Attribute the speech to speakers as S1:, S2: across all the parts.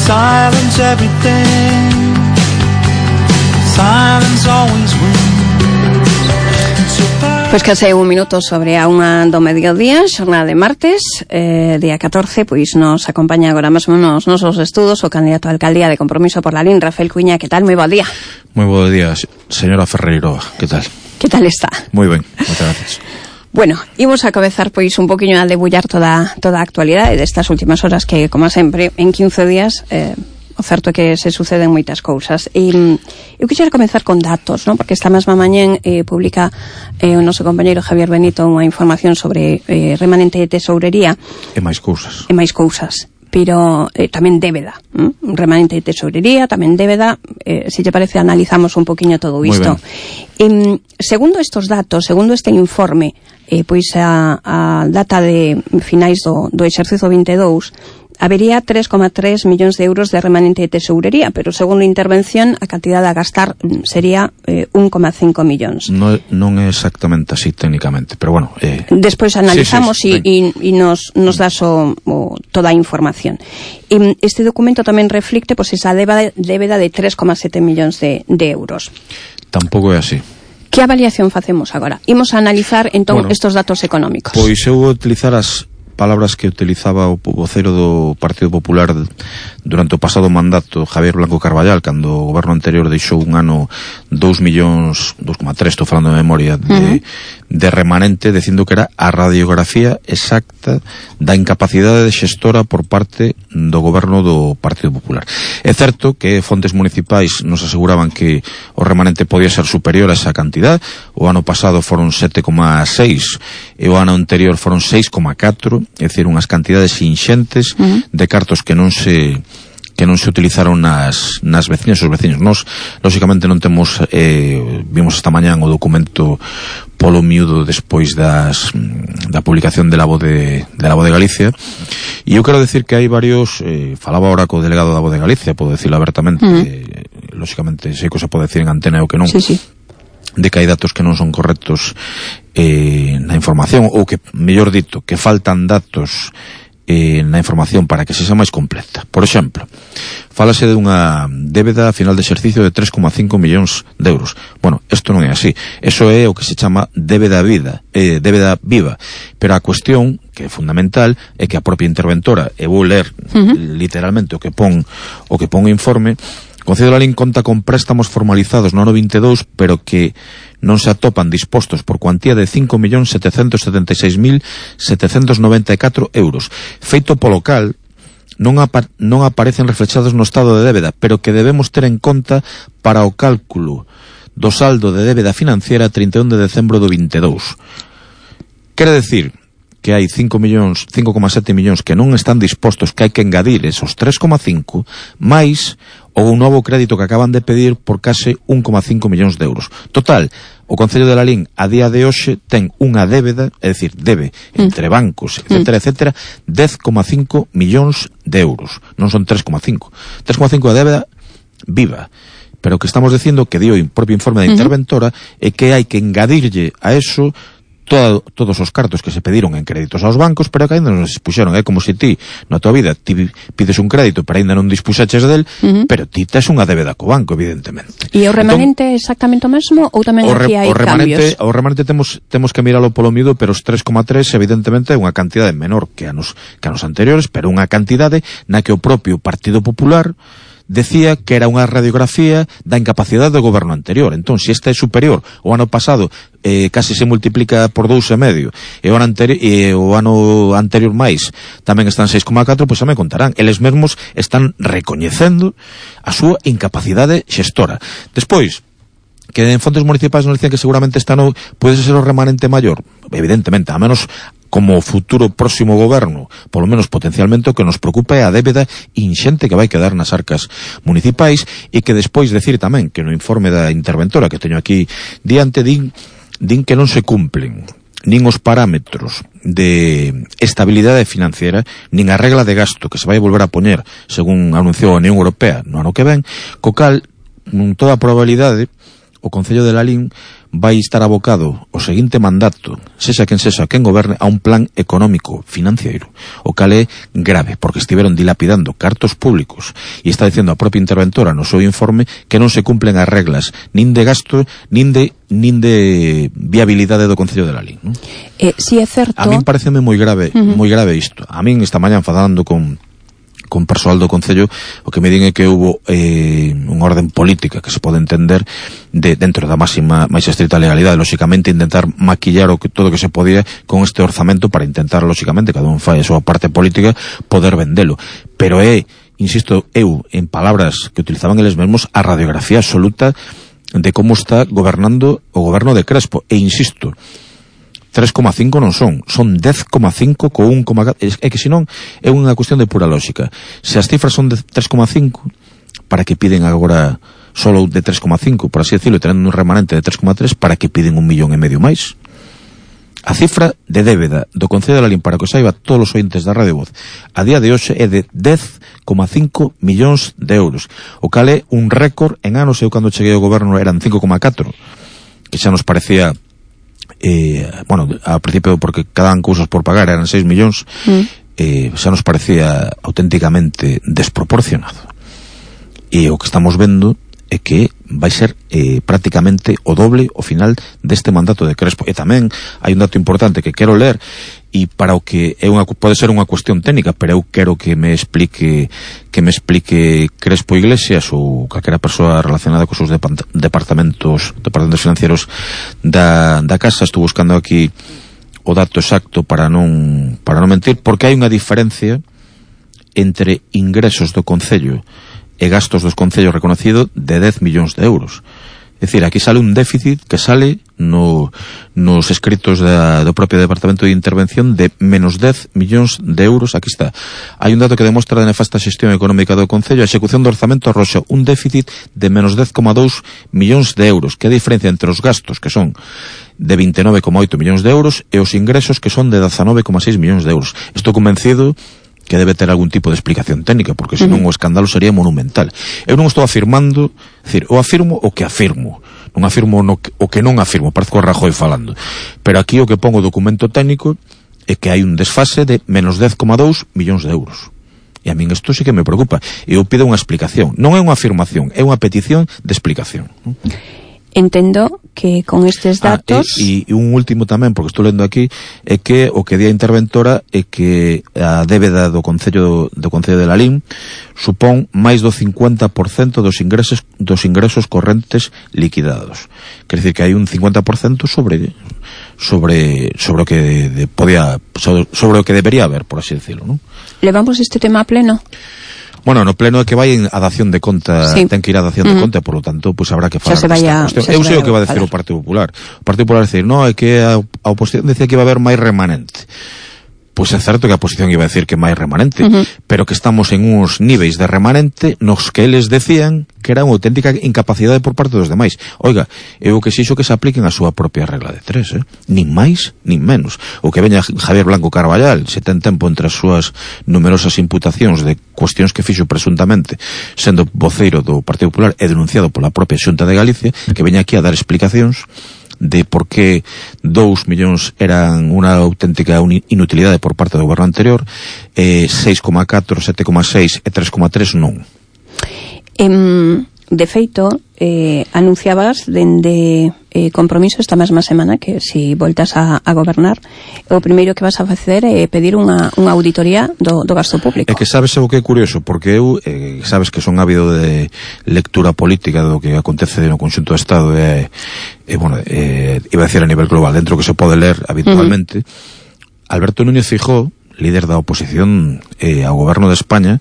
S1: Silence everything. Silence always wins.
S2: Pois case un minuto sobre a unha do mediodía, xornada de martes, día 14, pois nos acompaña agora mesmo nos nosos estudos o candidato a alcaldía de Compromiso por Lalín, Rafael Cuiña. Que tal? Moi bo día.
S3: Moi bo día, señora Ferreiro. Que tal?
S2: Que tal está?
S3: Moi ben, moitas gracias.
S2: Bueno, imos a comezar pois un poquinho a debullar toda a actualidade destas últimas horas que, como sempre, en 15 días o certo é que se suceden moitas cousas. E eu quixera comezar con datos, non? Porque esta mesma mañén publica o noso compañeiro Javier Benito unha información sobre remanente de tesourería.
S3: E máis cousas.
S2: Pero tamén débeda, remanente de tesourería, tamén débeda. Se lle parece, analizamos un poquinho todo isto. Segundo estos datos, segundo este informe, pois a data de finais do exercicio 22, habería 3,3 millóns de euros de remanente de tesourería, pero segundo a intervención a cantidade a gastar sería 1,5 millóns.
S3: Non é exactamente así técnicamente, pero bueno...
S2: Despois analizamos e nos das toda a información. Este documento tamén reflicte pois esa débeda de 3,7 millóns de euros.
S3: Tampouco é así.
S2: Que avaliación facemos agora? Imos a analizar entón estos datos económicos.
S3: Pois eu vou utilizar as palabras que utilizaba o vocero do Partido Popular durante o pasado mandato, Javier Blanco Carballal, cando o goberno anterior deixou un ano 2,3, estou falando de memoria, de remanente, dicindo que era a radiografía exacta da incapacidade de xestora por parte do goberno do Partido Popular. É certo que fontes municipais nos aseguraban que o remanente podía ser superior a esa cantidad. O ano pasado foron 7,6 e o ano anterior foron 6,4, é dicir, unhas cantidades inxentes de cartos que non se utilizaron nas veciñas e os veciños. Nós, lóxicamente, non temos vimos esta mañán o documento polo miúdo despois da publicación de la Voz de Galicia, e eu quero decir que hai varios, falaba ahora co delegado da Voz de Galicia, podo decirlo abertamente, lóxicamente sei que se pode decir en antena e o que non, de que hai datos que non son correctos na información, ou que, mellor dito, que faltan datos na información para que sexa máis completa. Por exemplo, fálase de unha débeda a final de exercicio de 3,5 millóns de euros. Bueno, isto non é así. Eso é o que se chama débeda viva. Pero a cuestión, que é fundamental, é que a propia interventora, e vou ler literalmente o que pon o informe, o Concello de Lalín conta con préstamos formalizados no ano 22, pero que non se atopan dispostos por cuantía de 5.776.794 euros. Feito polo cal non aparecen reflexados no estado de débeda, pero que debemos ter en conta para o cálculo do saldo de débeda financiera 31 de decembro do 22. Quere decir que hai 5,7 millóns que non están dispostos, que hai que engadir esos 3,5 máis o novo crédito que acaban de pedir por case 1,5 millóns de euros. Total, o Concello de Lalín a día de hoxe ten unha débeda, é dicir, debe entre bancos, etcétera, 10,5 millóns de euros. Non son 3,5. 3,5 de débeda viva. Pero o que estamos dicindo, que dio o propio informe da interventora, é que hai que engadirlle a eso todos os cartos que se pediron en créditos aos bancos, pero que ainda non se dispuxeron. É como se ti, na tua vida, ti pides un crédito, pero ainda non dispuxaches del, pero ti tes unha débeda co banco, evidentemente.
S2: E o remanente é exactamente o mesmo, ou tamén aquí hai cambios?
S3: O remanente temos que miralo polo miúdo, pero os 3,3 evidentemente é unha cantidade menor que anos anteriores, pero unha cantidade na que o propio Partido Popular decía que era unha radiografía da incapacidade do goberno anterior. Entón, se esta é superior, o ano pasado casi se multiplica por 2,5 e o ano anterior máis tamén están 6,4, pois xa me contarán. Eles mesmos están recoñecendo a súa incapacidade xestora. Despois, que en fontes municipais nos dicen que seguramente este ano pode ser o remanente maior. Evidentemente, a menos como futuro próximo goberno, polo menos potencialmente, o que nos preocupa é a débeda inxente que vai quedar nas arcas municipais, e que despois decir tamén que no informe da interventora que teño aquí diante din que non se cumplen nin os parámetros de estabilidade financiera, nin a regla de gasto que se vai volver a poñer, según anunciou a Unión Europea no ano que ven, co cal, con toda a probabilidade, o Concello de Lalín vai estar abocado o seguinte mandato, sexa quen goberne, a un plan económico financiero, o cal é grave, porque estiveron dilapidando cartos públicos, e está dicendo a propia interventora no seu informe que non se cumplen as reglas nin de gasto, nin de viabilidade do Concello de Lalín, non?
S2: Si é certo.
S3: A min pareceme moi grave isto. A min esta mañá falando con persoal do Concello, o que me din é que hubo unha orden política que se pode entender dentro da máis estrita legalidade, lóxicamente intentar maquillar todo o que se podía con este orzamento para intentar, lóxicamente, cada un fai a súa parte política, poder vendelo. Pero insisto, en palabras que utilizaban eles mesmos, a radiografía absoluta de como está gobernando o goberno de Crespo. E insisto, 3,5 non son 10,5 co 1,4. É que senón é unha cuestión de pura lógica. Se as cifras son de 3,5, para que piden agora solo de 3,5, por así decirlo, tendo un remanente de 3,3, para que piden 1,5 millón máis? A cifra de débeda do Concello de Lalín, para que o saiba todos os ointes da Radio Voz, a día de hoxe é de 10,5 millóns de euros, o cal é un récord en anos. Eu cando cheguei ao goberno eran 5,4, que xa nos parecía ao principio, porque quedaban cousas por pagar, eran 6 millóns, xa nos parecía auténticamente desproporcionado. E o que estamos vendo é que vai ser prácticamente o doble ao final deste mandato de Crespo. E tamén hai un dato importante que quero ler, e para o que pode ser unha cuestión técnica, pero eu quero que me explique Crespo Iglesias ou calquera persoa relacionada cos seus departamentos financieros da casa. Estou buscando aquí o dato exacto para non mentir, porque hai unha diferencia entre ingresos do Concello e gastos dos concellos reconocido de 10 millóns de euros. É dicir, aquí sale un déficit que sale nos escritos do propio Departamento de Intervención de menos 10 millóns de euros. Aquí está. Hai un dato que demostra a nefasta xestión económica do Concello. A execución do orzamento arroxa un déficit de menos 10,2 millóns de euros, que é a diferencia entre os gastos, que son de 29,8 millóns de euros, e os ingresos, que son de 19,6 millóns de euros. Estou convencido que debe ter algún tipo de explicación técnica, porque senón o escándalo sería monumental. Eu non estou afirmando, decir, eu afirmo o que afirmo, non afirmo o que non afirmo, parece o Rajoy falando, pero aquí o que pongo o documento técnico é que hai un desfase de menos 10,2 millóns de euros. E a min isto sí que me preocupa, e eu pido unha explicación. Non é unha afirmación, é unha petición de explicación, non?
S2: Entendo que con estes datos...
S3: E un último tamén, porque estou lendo aquí, é que o que di a interventora é que a débeda do Concello de Lalín supón máis do 50% dos ingresos correntes liquidados. Quer dizer que hai un 50% sobre o que sobre o que debería haber, por así decirlo, non?
S2: Levamos este tema a pleno?
S3: Bueno, no pleno é que vai a dación de conta, sí. Ten que ir a dación de conta, por lo tanto, pois habrá que falar desta cuestión. Eu sei o que va a decir o Partido Popular. O Partido Popular decir, no, é que a oposición decía que iba a haber máis remanente. Pois é certo que a oposición iba a decir que máis remanente, pero que estamos en uns níveis de remanente nos que eles decían que era unha auténtica incapacidade por parte dos demais. Oiga, eu que xixo que se apliquen a súa propia regla de 3, nin máis, nin menos. O que veña Javier Blanco Carballal, se ten tempo entre as súas numerosas imputacións de cuestións que fixo presuntamente sendo voceiro do Partido Popular e denunciado pola propia Xunta de Galicia, que veña aquí a dar explicacións de por que 2 millóns eran unha auténtica inutilidade por parte do goberno anterior, 6,4, 7,6 e 3,3 non.
S2: De feito, anunciabas dende Compromiso esta mesma semana que se voltas a gobernar, o primeiro que vas a facer é pedir unha auditoría do gasto público. É
S3: que sabes o que é curioso, porque eu sabes que son ávido de lectura política do que acontece no conxunto do Estado iba a decir a nivel global, dentro que se pode ler habitualmente. Alberto Núñez Feijóo, líder da oposición ao goberno de España,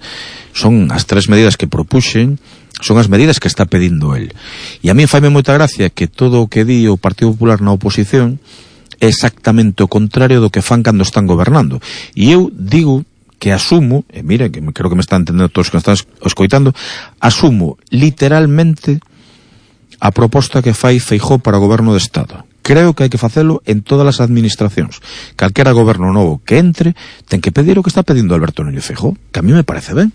S3: son as 3 medidas que propuxen, son as medidas que está pedindo el. E a mí faime moita gracia que todo o que di o Partido Popular na oposición é exactamente o contrario do que fan cando están gobernando. E eu digo que asumo, e mira, que creo que me están entendendo todos que me están escoitando, asumo literalmente a proposta que fai Feijóo para o goberno de Estado. Creo que hai que facelo en todas as administracións. Calquera goberno novo que entre ten que pedir o que está pedindo Alberto Núñez Feijóo, que a mí me parece ben.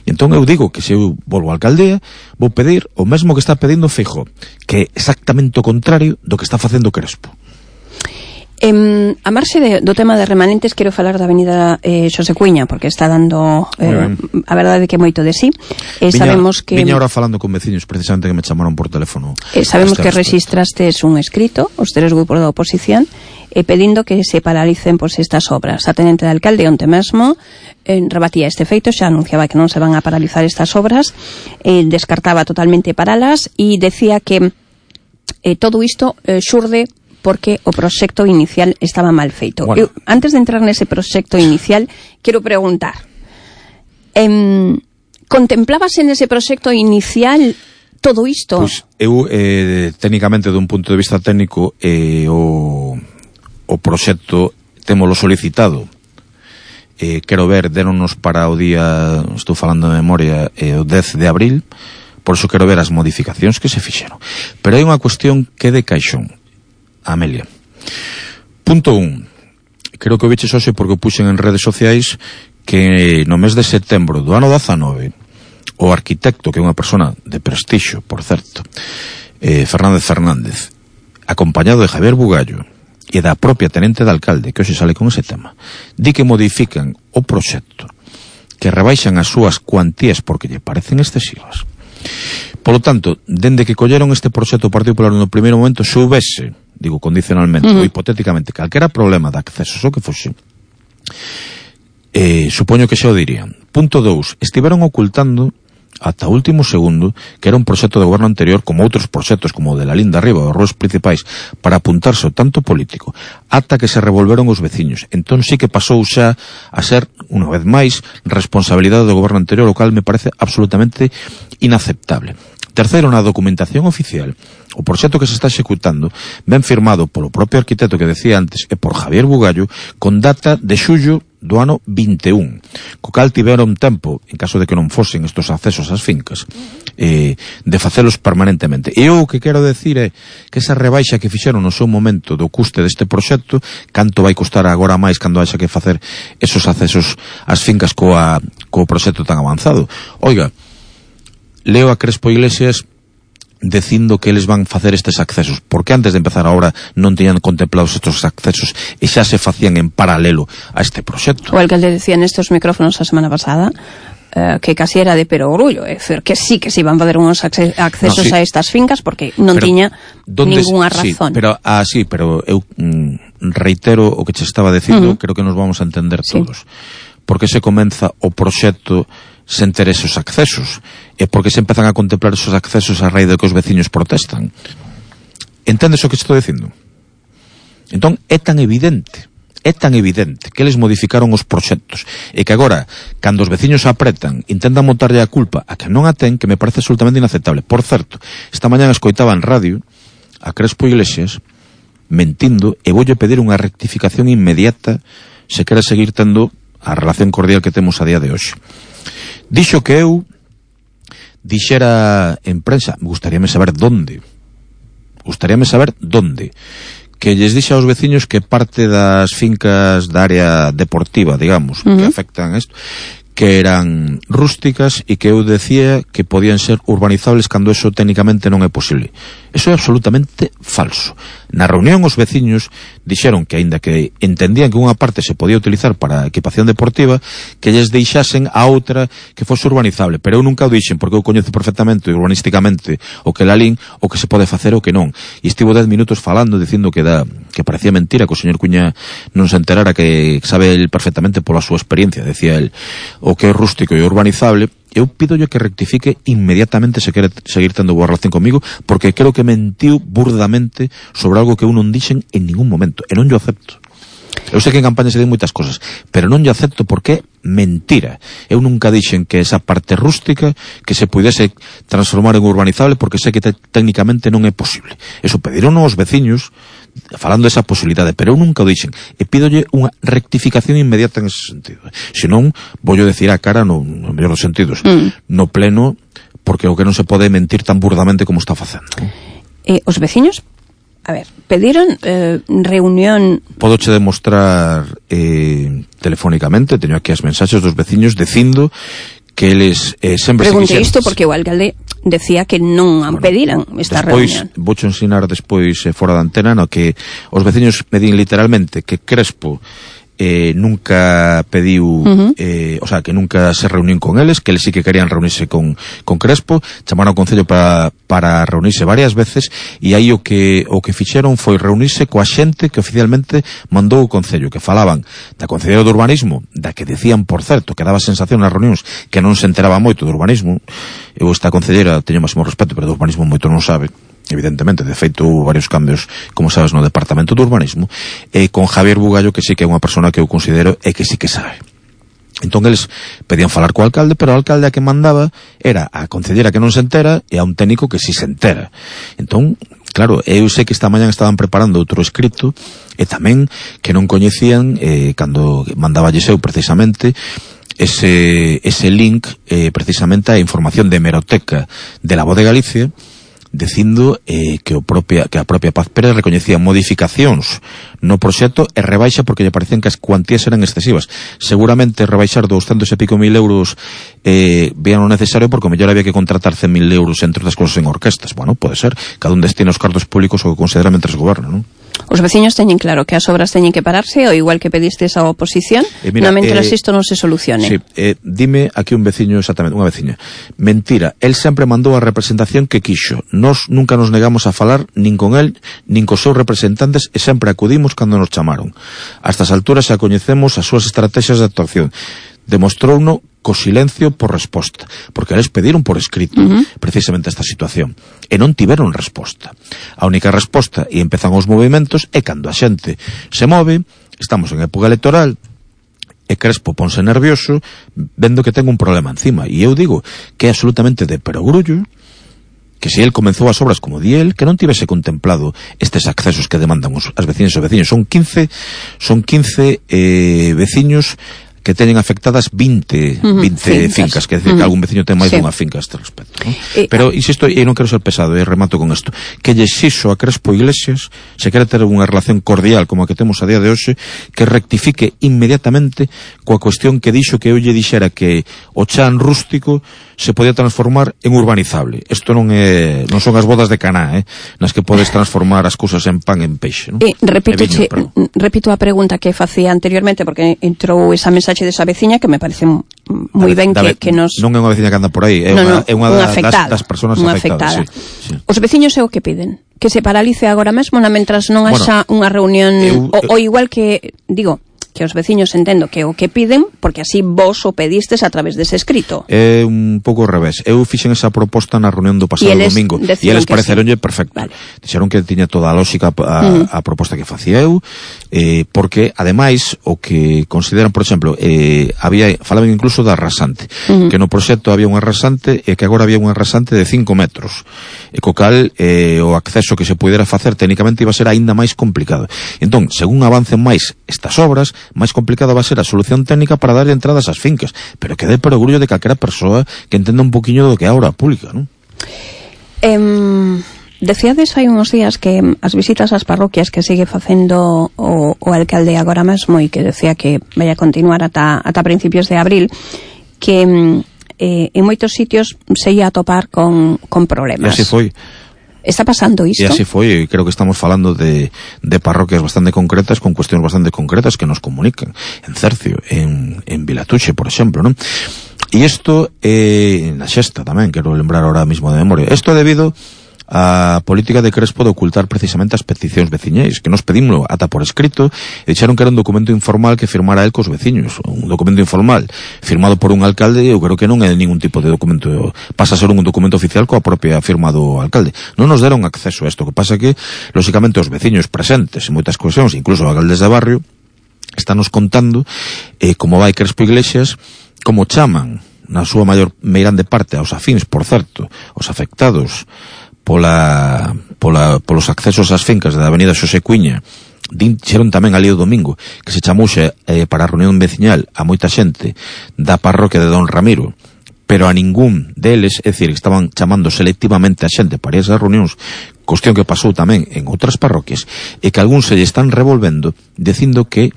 S3: Entón eu digo que se eu volvo á alcaldía vou pedir o mesmo que está pedindo Feijóo, que é exactamente o contrario do que está facendo Crespo.
S2: A marxe do tema de remanentes, quero falar da avenida Xosé Cuíña, porque está dando a verdade que moito de sí. Sabemos que
S3: viña ahora falando con veciños precisamente que me chamaron por teléfono.
S2: Sabemos que rexistrastes un escrito, os tres grupos da oposición, pedindo que se paralicen estas obras. A tenente de alcalde onte mesmo rebatía este feito, xa anunciaba que non se van a paralizar estas obras, descartaba totalmente paralas e decía que todo isto xurde porque o proxecto inicial estaba mal feito.
S3: Bueno.
S2: Antes de entrar nese proxecto inicial, quero preguntar, contemplabase nese proxecto inicial todo isto?
S3: Pois eu, técnicamente, dun punto de vista técnico, o proxecto témolo solicitado. Quero ver, déronos para o día, estou falando de memoria, o 10 de abril, por iso quero ver as modificacións que se fixeron. Pero hai unha cuestión que é de caixón, Amelia. Punto 1. Creo que o biches hoxe porque o puxen en redes sociais que no mes de setembro do ano 19 o arquitecto, que é unha persona de prestixio, por certo, Fernández, acompañado de Javier Bugallo e da propia tenente de alcalde, que hoxe sale con ese tema, di que modifican o proxecto, que rebaixan as súas cuantías porque lle parecen excesivas. Polo tanto, dende que colleron este proxecto o Partido Popular no primeiro momento, se houvese, digo condicionalmente ou hipotéticamente, calquera problema de acceso, o que fose, supoño que xa o dirían. Punto 2, estiveron ocultando ata o último segundo que era un proxecto de goberno anterior, como outros proxectos como o de la Linda Arriba, os ruas principais, para apuntarse ao tanto político, ata que se revolveron os veciños. Entón sí que pasou xa a ser, unha vez máis, responsabilidade do goberno anterior, o cal me parece absolutamente inaceptable. Terceiro, na documentación oficial, o proxecto que se está executando ben firmado polo propio arquitecto que decía antes e por Javier Bugallo, con data de xullo do ano 21, co cal tiveron tempo, en caso de que non fosen estos accesos ás fincas, de facelos permanentemente. E eu o que quero decir é que esa rebaixa que fixeron no seu momento do custe deste proxecto, canto vai costar agora máis cando haxa que facer esos accesos ás fincas co proxecto tan avanzado. Oiga, leo a Crespo Iglesias dicindo que eles van facer estes accesos, porque antes de empezar a obra non teñan contemplados estes accesos e xa se facían en paralelo a este proxecto.
S2: O alcalde decía nestes micrófonos a semana pasada que casi era de perogrullo, é dicir, que sí que se iban a fazer uns accesos a estas fincas porque non tiña ninguna razón.
S3: Sí, pero eu reitero o que che estaba dicindo, creo que nos vamos a entender todos. Porque se comeza o proxecto sen ter esos accesos, e porque se empezan a contemplar esos accesos a raíz de que os veciños protestan. Entendes o que estou dicindo? Entón, é tan evidente que eles modificaron os proxectos e que agora, cando os veciños apretan, intentan montarlle a culpa a que non a ten, que me parece absolutamente inaceptable. Por certo, esta mañá escoitaba en radio a Crespo Iglesias mentindo e voulle pedir unha rectificación inmediata se quere seguir tendo a relación cordial que temos a día de hoxe. Dixo que eu dixera en prensa, gustaríame saber donde, que lles dixe aos veciños que parte das fincas da área deportiva, digamos, que afectan a isto, que eran rústicas e que eu decía que podían ser urbanizables cando eso técnicamente non é posible. Eso é absolutamente falso. Na reunión os veciños dixeron que, aínda que entendían que unha parte se podía utilizar para equipación deportiva, que lles deixasen a outra que fose urbanizable. Pero eu nunca o dixen, porque eu coñezo perfectamente urbanísticamente o que lalín, o que se pode facer o que non. E estivo 10 minutos falando, dicindo que parecía mentira, que o señor Cuña non se enterara, que sabe el perfectamente pola súa experiencia, decía el, o que é rústico e urbanizable. Eu pidolle que rectifique inmediatamente se quere seguir tendo boa relación comigo, porque creo que mentiu burdamente sobre algo que eu non dixen en ningún momento, e non yo acepto. Eu sei que en campaña se din moitas cosas, pero non yo acepto porque é mentira. Eu nunca dixen que esa parte rústica que se pudese transformar en urbanizable, porque sei que técnicamente non é posible. Eso pediron os veciños falando desa posibilidade, pero eu nunca o dixen, e pídolle unha rectificación inmediata en ese sentido. Se non, voulle decir a cara no mellor dos sentidos, no pleno, porque o que non se pode mentir tan burdamente como está facendo.
S2: Os veciños, a ver, pediron reunión.
S3: Podoche demostrar telefónicamente, teño aquí as mensaxes dos veciños dicindo que eles sempre se
S2: Pregunte
S3: quixeron.
S2: isto porque o alcalde decía que non pediran esta reunión.
S3: Voucho ensinar despois fora da antena no que os veciños me din literalmente que Crespo nunca pediu o sea, que nunca se reuniu con eles, que eles sí que querían reunirse con Crespo, chamaron ao Concello para reunirse varias veces, e aí o que fixeron foi reunirse coa xente que oficialmente mandou o Concello, que falaban da Concelleira do Urbanismo, da que decían, por certo, que daba sensación nas reunións que non se enteraba moito do urbanismo. Eu esta concelleira teño máximo respeto, pero do urbanismo moito non sabe, evidentemente, de feito varios cambios, como sabes, no Departamento do Urbanismo, e con Javier Bugallo, que sí que é unha persona que eu considero e que sí que sabe. Entón eles pedían falar co alcalde, pero o alcalde a que mandaba era a concellera que non se entera e a un técnico que sí se entera. Entón, claro, eu sei que esta mañá estaban preparando outro escrito e tamén que non coñecían cando mandaba eu precisamente ese link precisamente a información de hemeroteca de la Voz de Galicia, dicindo que a propia Paz Pérez recoñecía modificacións no proxecto e rebaixa porque lle parecían que as cuantías eran excesivas. Seguramente rebaixar 200 e pico mil euros vean o necesario porque o mellor había que contratar 100.000 euros entre outras cosas en orquestas. Bueno, pode ser, cada un destina os cartos públicos o que considera mentres goberna, non?
S2: Os veciños teñen claro que as obras teñen que pararse, ou igual que pedistes a oposición, mira, mentras isto non se solucione.
S3: Sí, dime aquí un veciño exactamente, unha veciña. Mentira, el sempre mandou a representación que quixo. Nós nunca nos negamos a falar nin con el, nin cos seus representantes e sempre acudimos cando nos chamaron. A estas alturas xa coñecemos as súas estrategias de actuación. Demostrouno co silencio por resposta, porque eles pediron por escrito precisamente esta situación e non tiveron resposta. A única resposta, e empezan os movimentos, é cando a xente se move, estamos en época electoral e Crespo ponse nervioso vendo que ten un problema encima, e eu digo que é absolutamente de perogrullo que se el comenzou as obras como di el, que non tivese contemplado estes accesos que demandan as veciñas e os veciños. Son 15 veciños que teñen afectadas 20 fincas, que decir que algún veciño ten máis dunha finca a este respecto, ¿no? Pero insisto, e non quero ser pesado, e remato con isto, que lle exixo a Crespo Iglesias, se quere ter unha relación cordial como a que temos a día de hoxe, que rectifique inmediatamente coa cuestión que dixo que eu lle dixera que o chan rústico se podía transformar en urbanizable. Isto non son as bodas de Caná, nas que podes transformar as cousas en pan en peixe, ¿no?
S2: Repito a pregunta que facía anteriormente, porque entrou esa mensaxe desa veciña que me parece moi ben que nos...
S3: Non é unha veciña que anda por aí, é unha das persoas afectadas. Sí.
S2: Os veciños é o que piden? Que se paralice agora mesmo mentras non haxa unha reunión, ou igual que, digo, que os veciños entendo que o que piden, porque así vos o pedistes a través dese escrito.
S3: É un pouco ao revés. Eu fixen esa proposta na reunión do pasado domingo e eles pareceronlle perfecto. Vale. Dixeron que tiña toda a lógica a proposta que facía eu, porque ademais o que consideran, por exemplo, falaban incluso da rasante, que no proxecto había unha rasante e que agora había unha rasante de 5 metros, e co cal o acceso que se pudera facer técnicamente iba a ser aínda máis complicado. Entón, según avancen máis estas obras, máis complicada va a ser a solución técnica para darlle entradas ás fincas, pero que dé perogrullo de calquera persoa que entenda un poquinho do que é a obra pública, non?
S2: Decíades hai uns días que as visitas ás parroquias que sigue facendo o alcalde agora mesmo, e que decía que vai a continuar ata principios de abril, que en moitos sitios se ia a topar con problemas.
S3: E así foi.
S2: Está pasando isto?
S3: E así foi, creo que estamos falando de parroquias bastante concretas, con cuestións bastante concretas que nos comunican. En Cercio, en Vilatuche, por exemplo, non? E isto na Xesta tamén, quero lembrar ahora mismo de memoria. Isto é debido a política de Crespo de ocultar precisamente as peticións veciñais, que nos pedimos ata por escrito, e dixeron que era un documento informal que firmara el cos veciños. Un documento informal firmado por un alcalde, eu creo que non é ningún tipo de documento, pasa a ser un documento oficial coa propia firma do alcalde. Non nos deron acceso a isto, que pasa que, lóxicamente, os veciños presentes en moitas cuestións, incluso os alcaldes de barrio, estános contando como vai Crespo Iglesias, como chaman, na súa maior meirande parte, aos afíns, por certo, os afectados polos accesos ás fincas da avenida Xosé Cuiña. Dixeron tamén ali o domingo que se chamouse para a reunión veciñal a moita xente da parroquia de Don Ramiro, pero a ningún deles, é dicir, que estaban chamando selectivamente a xente para esas reunións, cuestión que pasou tamén en outras parroquias, e que algúns se lle están revolvendo dicindo que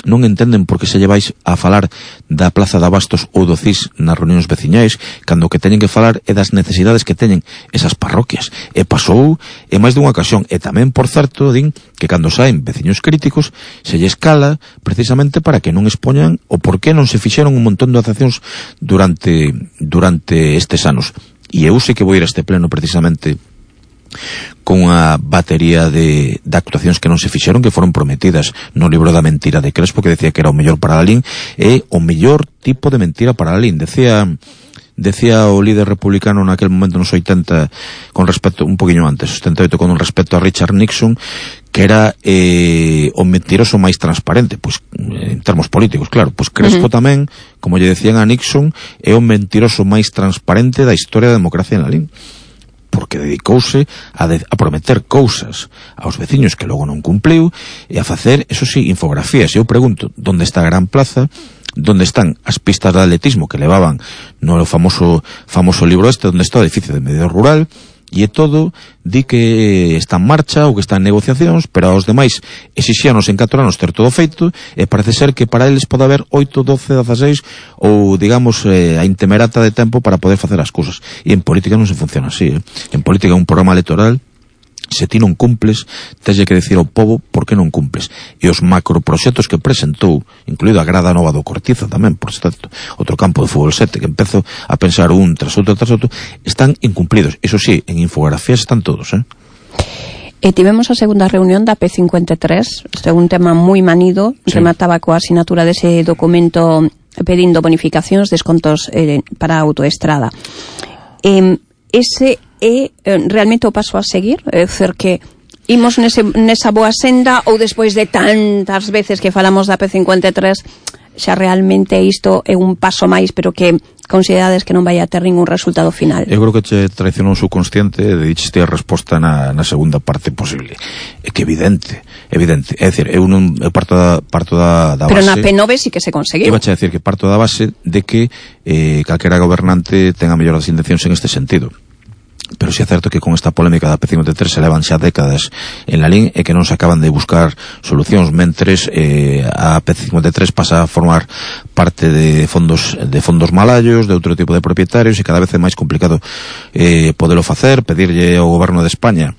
S3: non entenden por que se lleváis a falar da Plaza de Abastos ou do CIS nas reunións veciñais, cando o que teñen que falar é das necesidades que teñen esas parroquias. E pasou en máis dunha ocasión. E tamén, por certo, din que cando saen veciños críticos se lle escala precisamente para que non expoñan o por que non se fixeron un montón de accións durante estes anos. E eu sei que vou ir a este pleno precisamente con unha batería de actuacións que non se fixeron, que foron prometidas no libro da mentira de Crespo, que decía que era o mellor para Lalín, e o mellor tipo de mentira para Lalín. Decía o líder republicano naquel momento nos 80, con respecto, un poquinho antes, 78, con respecto a Richard Nixon, que era o mentiroso máis transparente, pois en termos políticos, claro, pois Crespo tamén, como lle decían a Nixon, é o mentiroso máis transparente da historia da democracia en Lalín, porque dedicouse a prometer cousas aos veciños que logo non cumpliu e a facer, eso sí, infografías. Eu pregunto, onde está a Gran Plaza? Onde están as pistas de atletismo que levaban no famoso libro este? Onde está o edificio de medio rural? E todo di que está en marcha ou que está en negociacións, pero aos demais exixíanos en 4 anos ter todo feito, e parece ser que para eles pode haber 8, 12, 16 ou, digamos, a intemerata de tempo para poder facer as cousas. E en política non se funciona así, En política un programa electoral, se ti non cumples, tens que decir ao pobo por que non cumples. E os macroproxectos que presentou, incluído a grada nova do Cortizo tamén, por certo, outro campo de fútbol 7, que empezo a pensar un tras outro, están incumplidos. Eso sí, en infografías están todos,
S2: Tivemos a segunda reunión da P53, un tema moi manido, sí. Remataba coa asinatura dese documento pedindo bonificacións, descontos para a autoestrada. Ese é realmente o paso a seguir? É dizer, que imos nesa boa senda, ou despois de tantas veces que falamos da P53 xa realmente isto é un paso máis, pero que considerades que non vai a ter ningún resultado final? Eu
S3: creo que che traicionou o subconsciente e dicheste a resposta na segunda parte posible. É que evidente. É dicir, eu parto da base...
S2: Pero na P9 sí que se conseguiu.
S3: Eu vache a decir que parto da base de que calquera gobernante ten a mellor das intencións en este sentido. Pero si é certo que con esta polémica da P53 se levan xa décadas en Lalín e que non se acaban de buscar solucións, mentres a P53 pasa a formar parte de fondos malallos, de outro tipo de propietarios, e cada vez é máis complicado podelo facer, pedirlle ao goberno de España,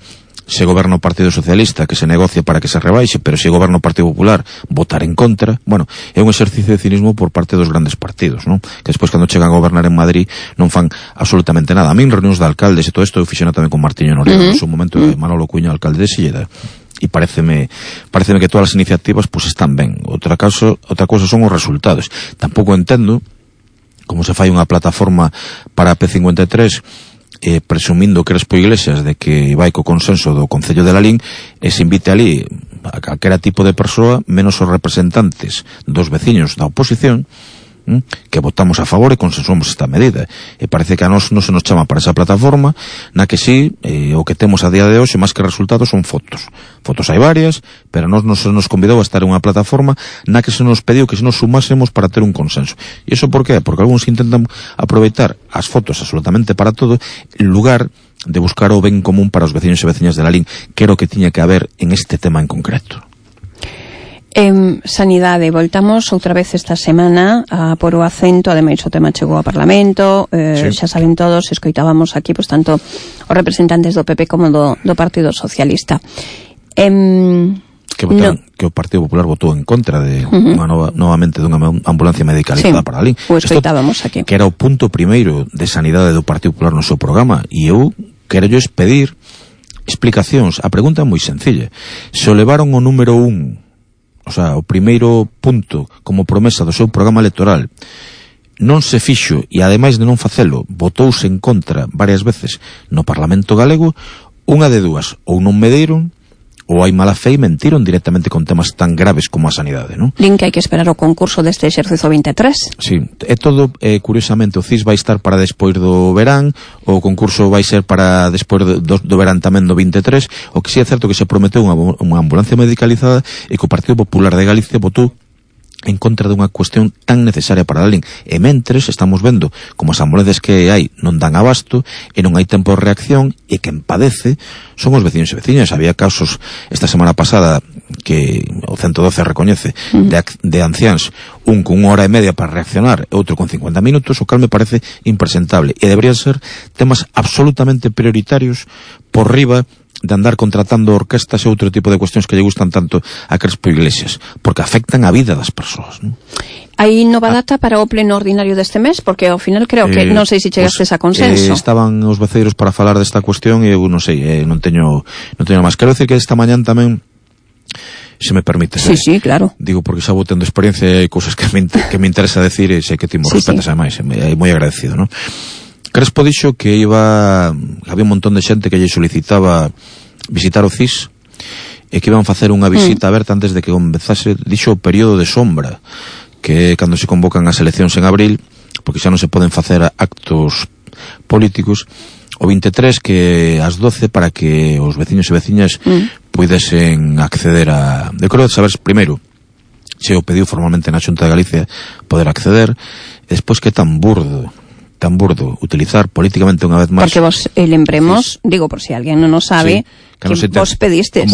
S3: se goberna o Partido Socialista, que se negocie para que se rebaixe, pero se goberna o Partido Popular, votar en contra. Bueno, é un exercicio de cinismo por parte dos grandes partidos, non? Que despois, cando chegan a gobernar en Madrid, non fan absolutamente nada. A min, reunións de alcaldes e todo isto, eu fixena tamén con Martiño Noriega, no seu momento, Manolo Cuña, alcalde de Silleda, e pareceme que todas as iniciativas pues están ben. Outra cousa son os resultados. Tampouco entendo como se fai unha plataforma para a P53 presumindo Crespo Iglesias de que vai co consenso do Concello de Lalín, e se invite ali a calquera tipo de persoa, menos os representantes dos veciños da oposición, que votamos a favor e consensuamos esta medida. E parece que a nós non se nos chama para esa plataforma, na que sí, o que temos a día de hoxe, máis que resultados, son fotos. Fotos hai varias, pero a nós non se nos convidou a estar en unha plataforma na que se nos pediu que se nos sumásemos para ter un consenso. E iso por qué? Porque algúns intentan aproveitar as fotos absolutamente para todo, en lugar de buscar o ben común para os veciños e veciñas de Lalín, que era o que tiña que haber en este tema en concreto.
S2: Sanidade, voltamos outra vez esta semana a por o acento, ademais o tema chegou ao Parlamento, sí. Xa saben todos, escoitábamos aquí, pois tanto os representantes do PP como do Partido Socialista.
S3: Que o Partido Popular votou en contra de novamente dunha ambulancia medicalizada para Lalín.
S2: O escoitábamos aquí.
S3: Que era o punto primeiro de sanidade do Partido Popular no seu programa, e eu quero pedir explicacións. A pregunta é moi sencilla. Se o levaron o número 1, o sea, o primeiro punto como promesa do seu programa electoral, non se fixo, e ademais de non facelo, votouse en contra varias veces no Parlamento galego, unha de dúas: ou non me deron, ou hai mala fe e mentiron directamente con temas tan graves como a sanidade, non?
S2: Din que hai que esperar o concurso deste exercicio 23.
S3: Sí, é todo, curiosamente, o CIS vai estar para despois do verán, o concurso vai ser para despois do verán tamén do 23, o que si é certo que se prometeu unha ambulancia medicalizada e que o Partido Popular de Galicia votou en contra dunha cuestión tan necesaria para Lalín. E mentres estamos vendo como as ambulancias que hai non dan abasto e non hai tempo de reacción, e quen padece son os veciños e veciñas. Había casos esta semana pasada que o 112 recoñece de anciáns, un con 1 hora e media para reaccionar e outro con 50 minutos, o cal me parece impresentable, e deberían ser temas absolutamente prioritarios por riba de andar contratando orquestas e outro tipo de cuestións que lle gustan tanto a Crespo Iglesias, porque afectan a vida das persoas, non?
S2: Hai nova data para o pleno ordinario deste mes, porque ao final creo que non sei se chegastes a consenso.
S3: Estaban os voceiros para falar desta cuestión e eu non sei, non teño máis. Quero decir que esta mañán tamén, se me permite.
S2: Sí, claro.
S3: Digo porque xa vou tendo experiencia e hai cousas que me interesa decir e sei que ti mo respetas ademais, é moi agradecido, non? Crespo dixo que había un montón de xente que lle solicitaba visitar o CIS e que iban facer unha visita aberta antes de que comezase, dixo, o período de sombra, que é cando se convocan as eleccións en abril, porque xa non se poden facer actos políticos, o 23 que ás 12 para que os veciños e veciñas puidesen acceder a... Eu quero saber primeiro se o pediu formalmente na Xunta de Galicia poder acceder, e despois que tan burdo utilizar políticamente unha vez máis.
S2: Porque vos lembremos, digo por si alguén non o sabe, que vos pedistes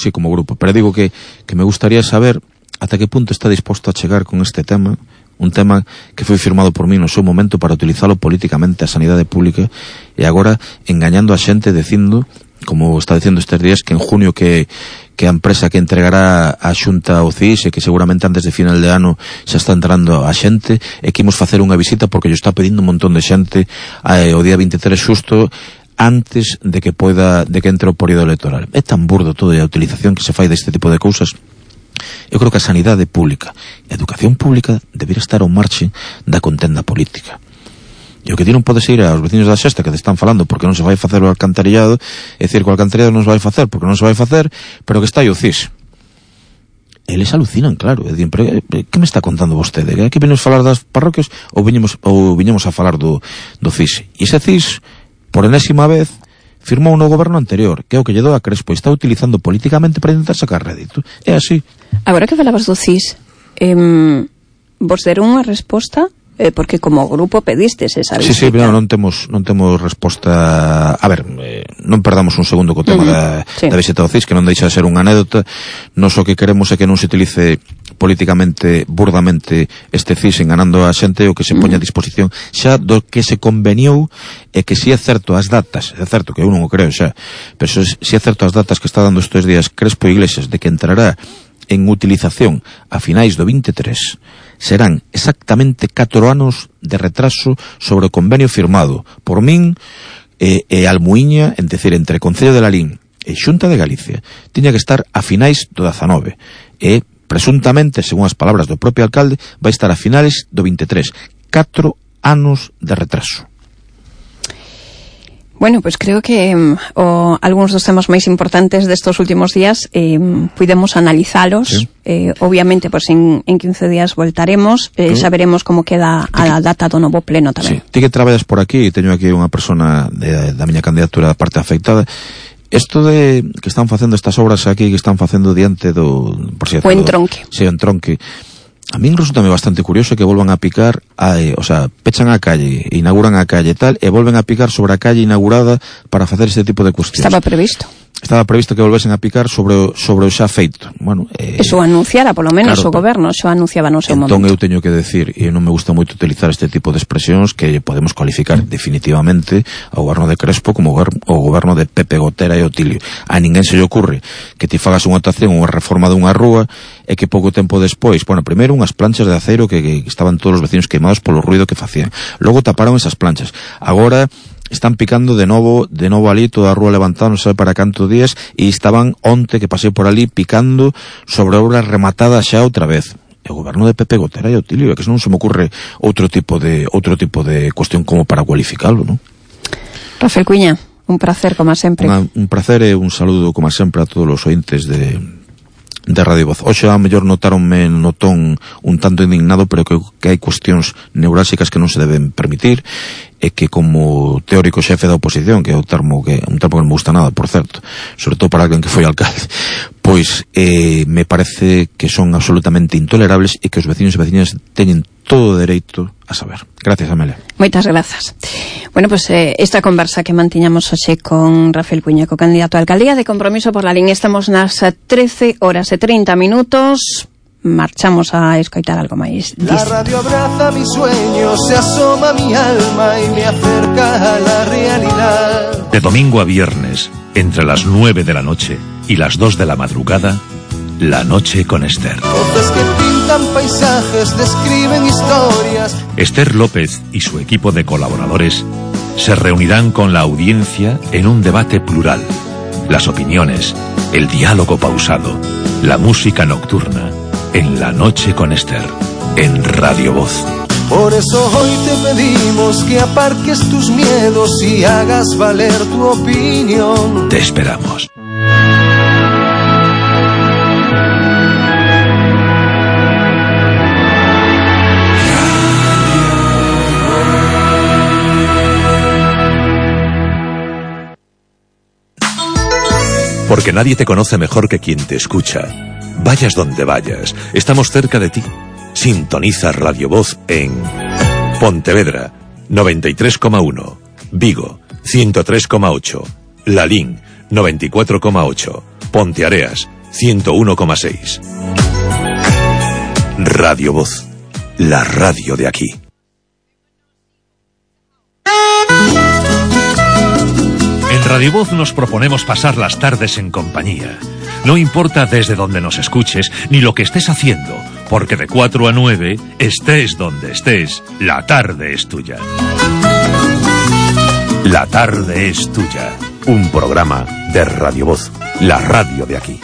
S3: como grupo, pero digo que me gustaría saber ata que punto está disposto a chegar con este tema, un tema que foi firmado por mí no seu momento para utilizalo políticamente a sanidade pública, e agora engañando a xente dicindo, como está dicindo estes días, que en junio que a empresa que entregará a Xunta ao CIS e que seguramente antes de final de ano xa está entrando a xente, e que imos facer unha visita porque lle está pedindo un montón de xente o día 23 xusto antes de que entre o período electoral. É tan burdo todo, e a utilización que se fai deste tipo de cousas. Eu creo que a sanidade pública e a educación pública debería estar ao marxe da contenda política. E o que ti non podes ir aos veciños da Xesta que te están falando porque non se vai facer o alcantarillado, é dicir, que o alcantarillado non se vai facer porque non se vai facer, pero que está aí o CIS. Eles alucinan, claro, e din, pero que me está contando vostede? Aquí venimos a falar das parroquias ou viñemos a falar do CIS? E ese CIS, por enésima vez, firmou no goberno anterior, que é o que lle dou a Crespo, e está utilizando políticamente para intentar sacar rédito. É así.
S2: Agora que falabas do CIS, vos deron unha resposta, porque como grupo pedistes esa visita.
S3: Sí, pero non temos resposta. A ver, non perdamos un segundo co tema da visita ao CIS, que non deixa de ser unha anécdota. Nós o que queremos é que non se utilice políticamente, burdamente, este CIS enganando a xente, o que se poña a disposición xa do que se conveniou, e que si é certo as datas, é certo que eu non o creo xa, pero si é certo as datas que está dando estes días Crespo Iglesias de que entrará en utilización a finais do 23, serán exactamente 4 anos de retraso sobre o convenio firmado por min e Almuíña, en decir, entre Concello de Lalín e Xunta de Galicia. Tiña que estar a finais do 19 e presuntamente, según as palabras do propio alcalde, vai estar a finais do 23. 4 anos de retraso.
S2: Bueno, pues creo que algúns dos temas máis importantes destos últimos días puidemos analizalos. Sí. Obviamente, pues en 15 días voltaremos, xa veremos como queda a data do novo pleno tamén.
S3: Sí. Ti que traballas por aquí, teño aquí unha persona da miña candidatura da parte afectada. Isto de que están facendo estas obras aquí, que están facendo diante do... Por cierto,
S2: o entronque.
S3: Sí, o entronque. A min resultame bastante curioso que volvan a picar, pechan a calle, inauguran a calle e tal, e volven a picar sobre a calle inaugurada para facer este tipo de cuestións.
S2: Estaba previsto
S3: que volvesen a picar sobre o xa feito. Bueno,
S2: eso anunciara, polo menos, claro, o goberno, xa anunciaba no seu momento.
S3: Entón eu teño que decir, e non me gusta moito utilizar este tipo de expresións, que podemos cualificar definitivamente ao goberno de Crespo como o goberno de Pepe Gotera e Otilio. A ninguén se lle ocurre que ti fagas unha actuación, unha reforma dunha rúa, e que pouco tempo despois, primeiro unhas planchas de aceiro que estaban todos os vecinos queimados polo ruido que facían. Logo taparon esas planchas. Agora están picando de novo ali toda a rúa levantada, non sabe para canto días, e estaban onte que pasei por ali picando sobre obras rematadas xa outra vez. O goberno de Pepe Gotera e Otilio, é que non se me ocurre outro tipo de cuestión como para cualificalo, non?
S2: Rafael Cuiña, un placer como sempre.
S3: Un placer e un saludo como sempre a todos os ointes de Radio Voz. Hoxe a mellor notaronme no ton un tanto indignado, pero que hai cuestións neurálxicas que non se deben permitir, e que como teórico xefe da oposición, que é un termo que non me gusta nada, por certo, sobre todo para alguén que foi alcalde, pois me parece que son absolutamente intolerables, e que os veciños e veciñas teñen todo o dereito a saber. Gracias, Amelia.
S2: Moitas grazas. Bueno, pues esta conversa que mantiñamos hoxe con Rafael Puñeco, candidato a alcaldía de Compromiso por la Línea. Estamos nas 13 horas e 30 minutos. Marchamos a escoitar algo máis.
S4: La radio abraza mis sueños, se asoma mi alma y me acerca a la realidad.
S5: De domingo a viernes, entre las 9 de la noche y las 2 de la madrugada, La Noche con Esther.
S4: Voces que pintan paisajes, describen historias.
S5: Esther López y su equipo de colaboradores se reunirán con la audiencia en un debate plural. Las opiniones, el diálogo pausado, la música nocturna, en La Noche con Esther, en Radio Voz.
S4: Por eso hoy te pedimos que aparques tus miedos y hagas valer tu opinión.
S5: Te esperamos. Porque nadie te conoce mejor que quien te escucha. Vayas donde vayas, estamos cerca de ti. Sintoniza Radio Voz en Pontevedra 93,1, Vigo 103,8, Lalín 94,8, Ponteareas 101,6. Radio Voz, la radio de aquí. En Radio Voz nos proponemos pasar las tardes en compañía. No importa desde donde nos escuches ni lo que estés haciendo, porque de 4 a 9, estés donde estés, la tarde es tuya. La tarde es tuya. Un programa de Radio Voz, la radio de aquí.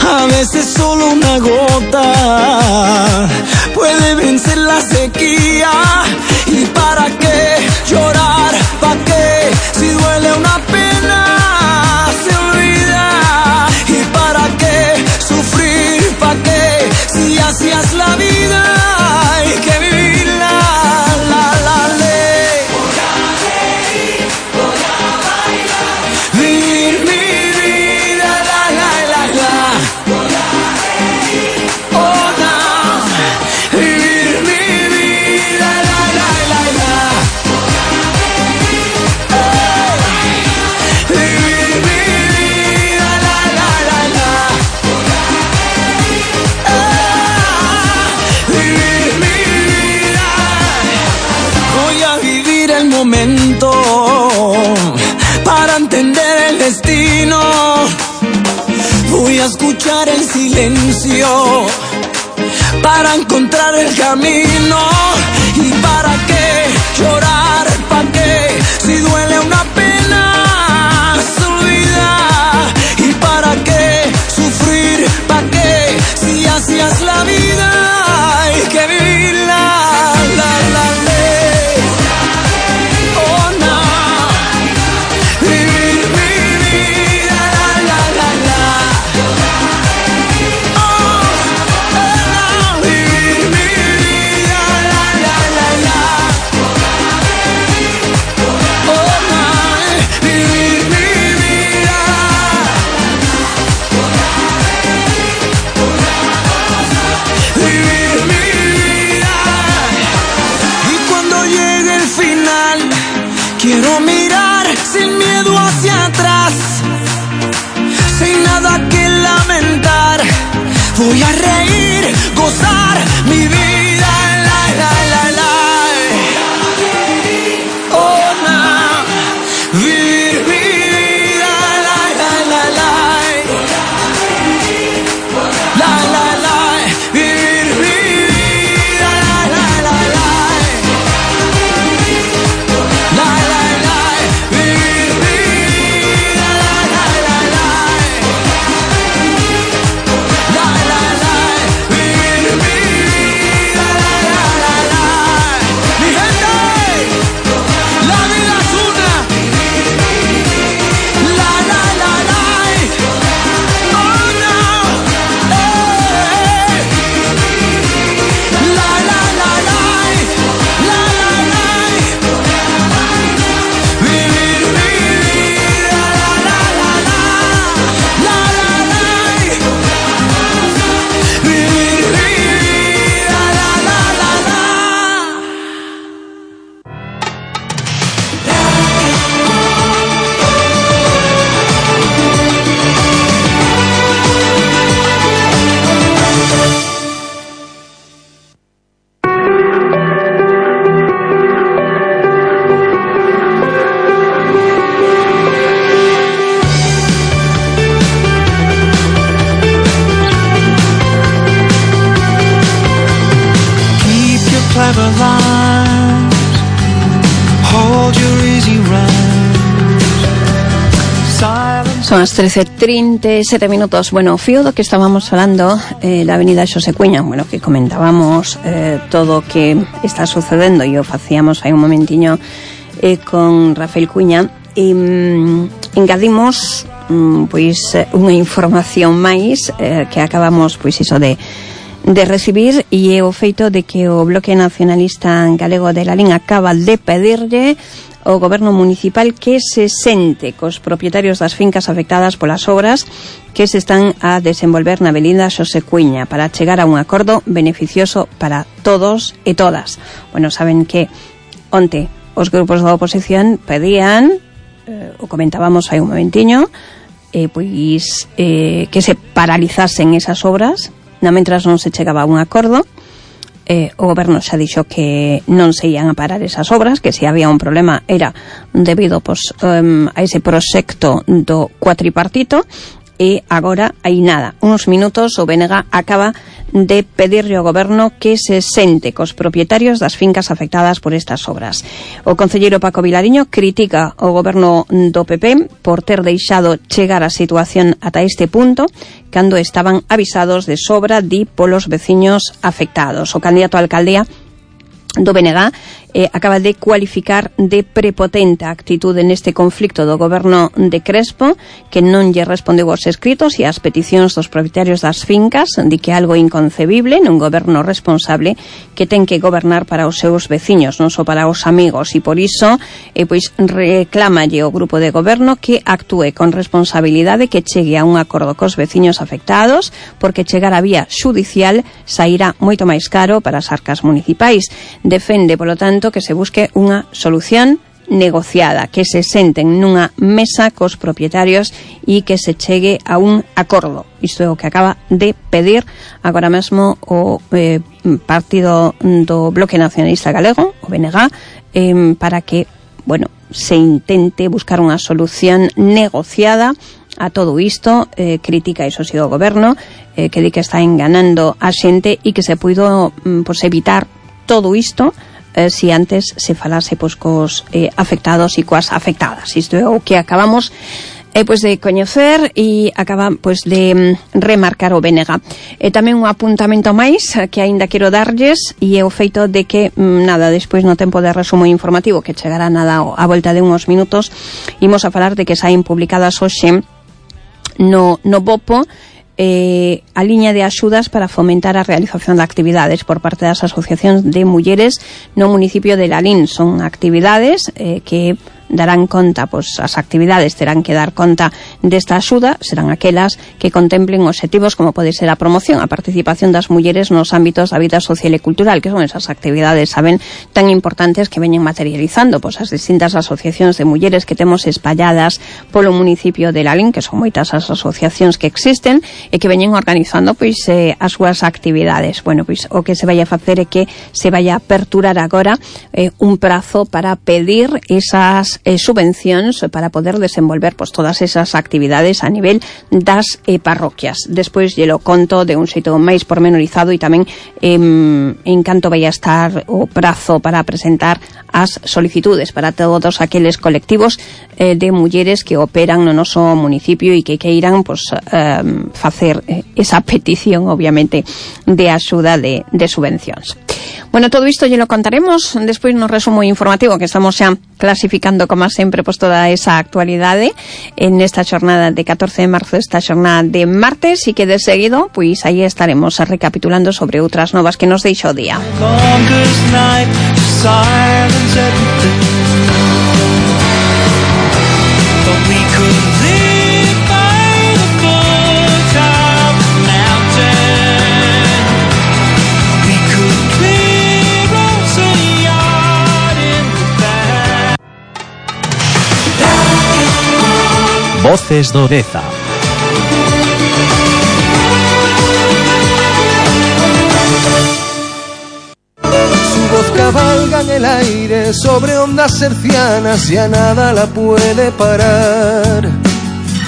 S6: A veces solo una gota puede vencer la sequía. ¿Y para qué llorar? ¿Para qué? Si duele una pena se olvida. ¿Y para qué sufrir? ¿Para qué? Si así es la vida hay que vivirla. La ley. Voy a bailar, vivir mi vida. Voy a reír, oh no, vivir mi vida, Voy a reír, vivir mi vida, Voy a reír, vivir mi vida. Voy a vivir el momento para entender el destino. Voy a escuchar el silencio para encontrar el camino. ¿Y para qué llorar? ¿Para qué? Si duele una pena se olvida. ¿Y para qué sufrir? ¿Para qué? Si así es la vida hay que vivirla. La ley. Oh no, vivir mi vida. Vivir mi vida, oh no, vivir mi vida. Vivir mi vida. Y cuando llegue el final, quiero mirar sin miedo hacia atrás, sin nada que lamentar. Voy a reír, gozar mi vida. Oh no, vivir mi vida.
S2: Son as 13:37 minutos. Bueno, fío do que estábamos falando da avenida Xosé Cuña, bueno, que comentábamos todo o que está sucedendo e o facíamos hai un momentiño con Rafael Cuña e engadimos pois unha información máis que acabamos pois iso de recibir, e é o feito de que o Bloque Nacionalista Galego de Lalín acaba de pedirlle o goberno municipal que se sente cos propietarios das fincas afectadas polas obras que se están a desenvolver na avenida Xosé Cuña para chegar a un acordo beneficioso para todos e todas. Bueno, saben que onte os grupos da oposición pedían, o comentábamos hai un momentiño, pois que se paralizasen esas obras, mentras non se chegaba a un acordo. O goberno xa dixo que non se ian a parar esas obras, que se había un problema era debido a ese proxecto do cuatripartito, e agora hai nada, uns minutos o BNG acaba de pedirle ao goberno que se sente cos propietarios das fincas afectadas por estas obras. O concelleiro Paco Vilariño critica o goberno do PP por ter deixado chegar a situación ata este punto cando estaban avisados de sobra polos veciños afectados. O candidato a alcaldía do BNG acaba de cualificar de prepotente a actitude neste conflicto do goberno de Crespo, que non lle respondeu aos escritos e ás peticións dos propietarios das fincas, de que é algo inconcebible nun goberno responsable que ten que gobernar para os seus veciños, non só para os amigos, e por iso pois reclámalle o grupo de goberno que actúe con responsabilidade, que chegue a un acordo cos veciños afectados, porque chegar a vía xudicial sairá moito máis caro para as arcas municipais. Defende, polo tanto, que se busque unha solución negociada, que se senten nunha mesa cos propietarios e que se chegue a un acordo. Isto é o que acaba de pedir agora mesmo o partido do Bloque Nacionalista Galego, o BNG, para que, bueno, se intente buscar unha solución negociada a todo isto. Critica iso si o goberno, que di que está enganando a xente e que se puido pues, evitar todo isto si antes se falase pois cos afectados e coas afectadas. Isto é o que acabamos pois de coñecer e acaba pois de remarcar o BNG. Tamén un apuntamento máis que aínda quero darlles, e é o feito de que despois no tempo de resumo informativo que chegará a volta de uns minutos, imos a falar de que saen publicadas hoxe no BOPO a liña de axudas para fomentar a realización de actividades por parte das asociacións de mulleres no municipio de Lalín. Son actividades que darán conta, pois as actividades terán que dar conta desta axuda, serán aquelas que contemplen obxectivos como pode ser a promoción, a participación das mulleres nos ámbitos da vida social e cultural, que son esas actividades, saben, tan importantes que veñen materializando pois as distintas asociacións de mulleres que temos espalladas polo municipio de Lalín, que son moitas as asociacións que existen e que veñen organizando pois as súas actividades. Bueno, pois o que se vai a facer é que se vai a aperturar agora un prazo para pedir esas subvencións para poder desenvolver pois todas esas actividades a nivel das parroquias. Despois lle lo conto de un xeito máis pormenorizado, e tamén en canto vai a estar o prazo para presentar as solicitudes para todos aqueles colectivos de mulleres que operan no noso municipio e que queiran pois facer esa petición, obviamente, de axuda de subvencións. Bueno, todo isto lle lo contaremos despois no resumo informativo, que estamos xa clasificando, como sempre, pois toda esa actualidade en esta xornada de 14 de marzo, esta xornada de martes, e que de seguido, pois aí estaremos recapitulando sobre outras novas que nos deixa o día.
S5: Voces do Deza.
S4: Su voz cabalga en el aire sobre ondas hercianas y a nada la puede parar.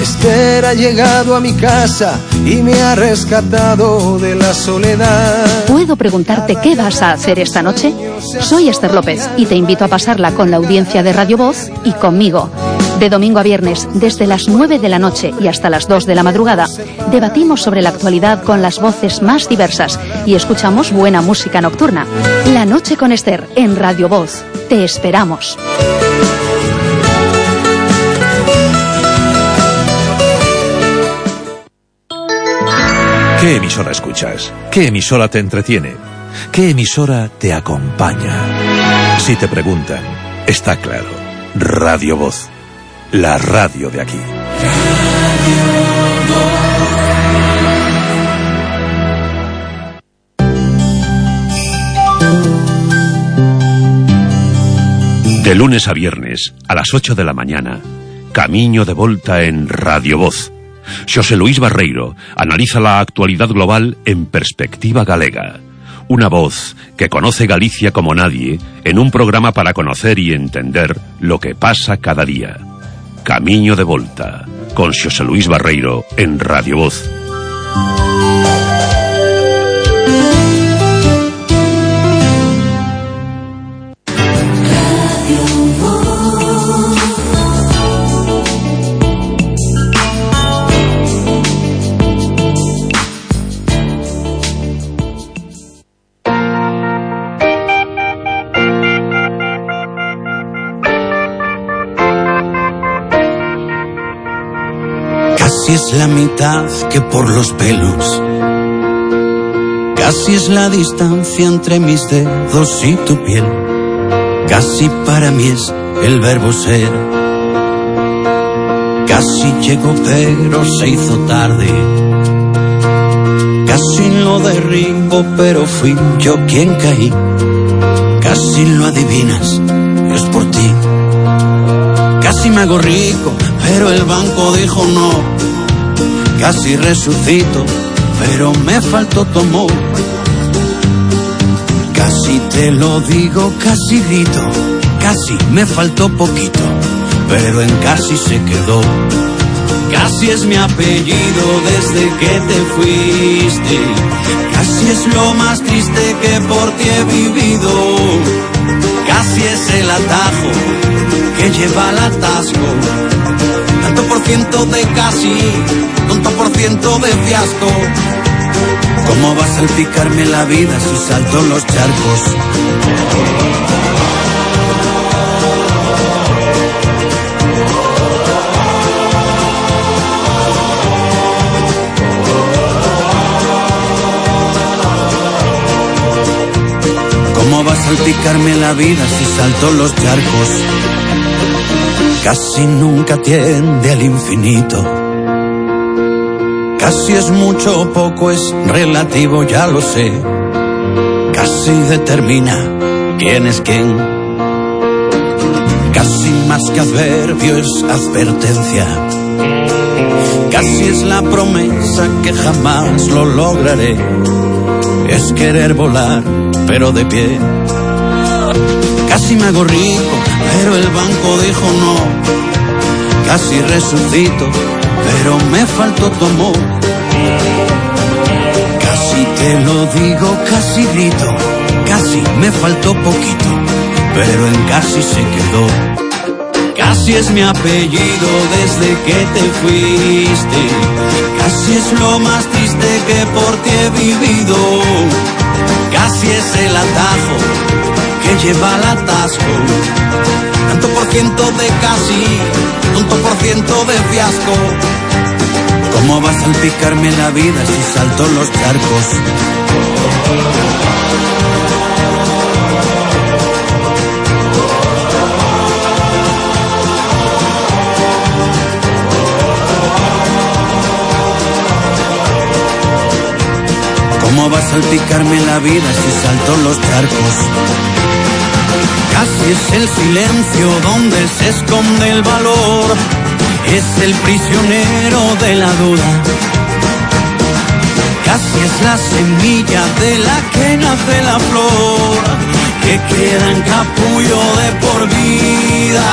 S4: Esther ha llegado a mi casa y me ha rescatado de la soledad.
S7: ¿Puedo preguntarte qué vas a hacer esta noche? Soy Esther López y te invito a pasarla con la audiencia de Radio Voz y conmigo. De domingo a viernes, desde las 9 de la noche y hasta las 2 de la madrugada, debatimos sobre la actualidad con las voces más diversas y escuchamos buena música nocturna. La noche con Esther en Radio Voz. Te esperamos.
S5: ¿Qué emisora escuchas? ¿Qué emisora te entretiene? ¿Qué emisora te acompaña? Si te preguntan, está claro. Radio Voz. La radio de aquí. De lunes a viernes, a las 8 de la mañana, Camiño de Volta en Radio Voz. Xosé Luís Barreiro analiza la actualidad global en perspectiva galega. Una voz que conoce Galicia como nadie en un programa para conocer y entender lo que pasa cada día. Camiño de Volta, con Xosé Luís Barreiro en Radio Voz.
S6: Casi es la mitad que por los pelos. Casi es la distancia entre mis dedos y tu piel. Casi para mí es el verbo ser. Casi llegó pero se hizo tarde. Casi lo derribo pero fui yo quien caí. Casi lo adivinas, es por ti. Casi me hago rico, pero el banco dijo no. Casi resucito, pero me faltó tu amor. Casi te lo digo, casi grito. Casi me faltó poquito, pero en casi se quedó. Casi es mi apellido desde que te fuiste. Casi es lo más triste que por ti he vivido. Casi es el atajo que lleva al atasco. Tanto por ciento de casi, tanto por ciento de fiasco. ¿Cómo va a salpicarme la vida si salto los charcos? ¿Cómo va a salpicarme la vida si salto los charcos? Casi nunca tiende al infinito. Casi es mucho o poco, es relativo, ya lo sé. Casi determina quién es quién. Casi más que adverbio es advertencia. Casi es la promesa que jamás lo lograré. Es querer volar, pero de pie. Casi me hago rico, pero el banco dijo no. Casi resucito, pero me faltó tu amor. Casi te lo digo, casi grito. Casi me faltó poquito, pero en casi se quedó. Casi es mi apellido desde que te fuiste. Casi es lo más triste que por ti he vivido. Casi es el atajo que lleva al atasco. Tanto por ciento de casi, tanto por ciento de fiasco. ¿Cómo va a salpicarme la vida si salto los charcos? ¿Cómo va a salpicarme la vida si salto los charcos? Casi es el silencio donde se esconde el valor. Es el prisionero de la duda. Casi es la semilla de la que nace la flor, que queda en capullo de por vida.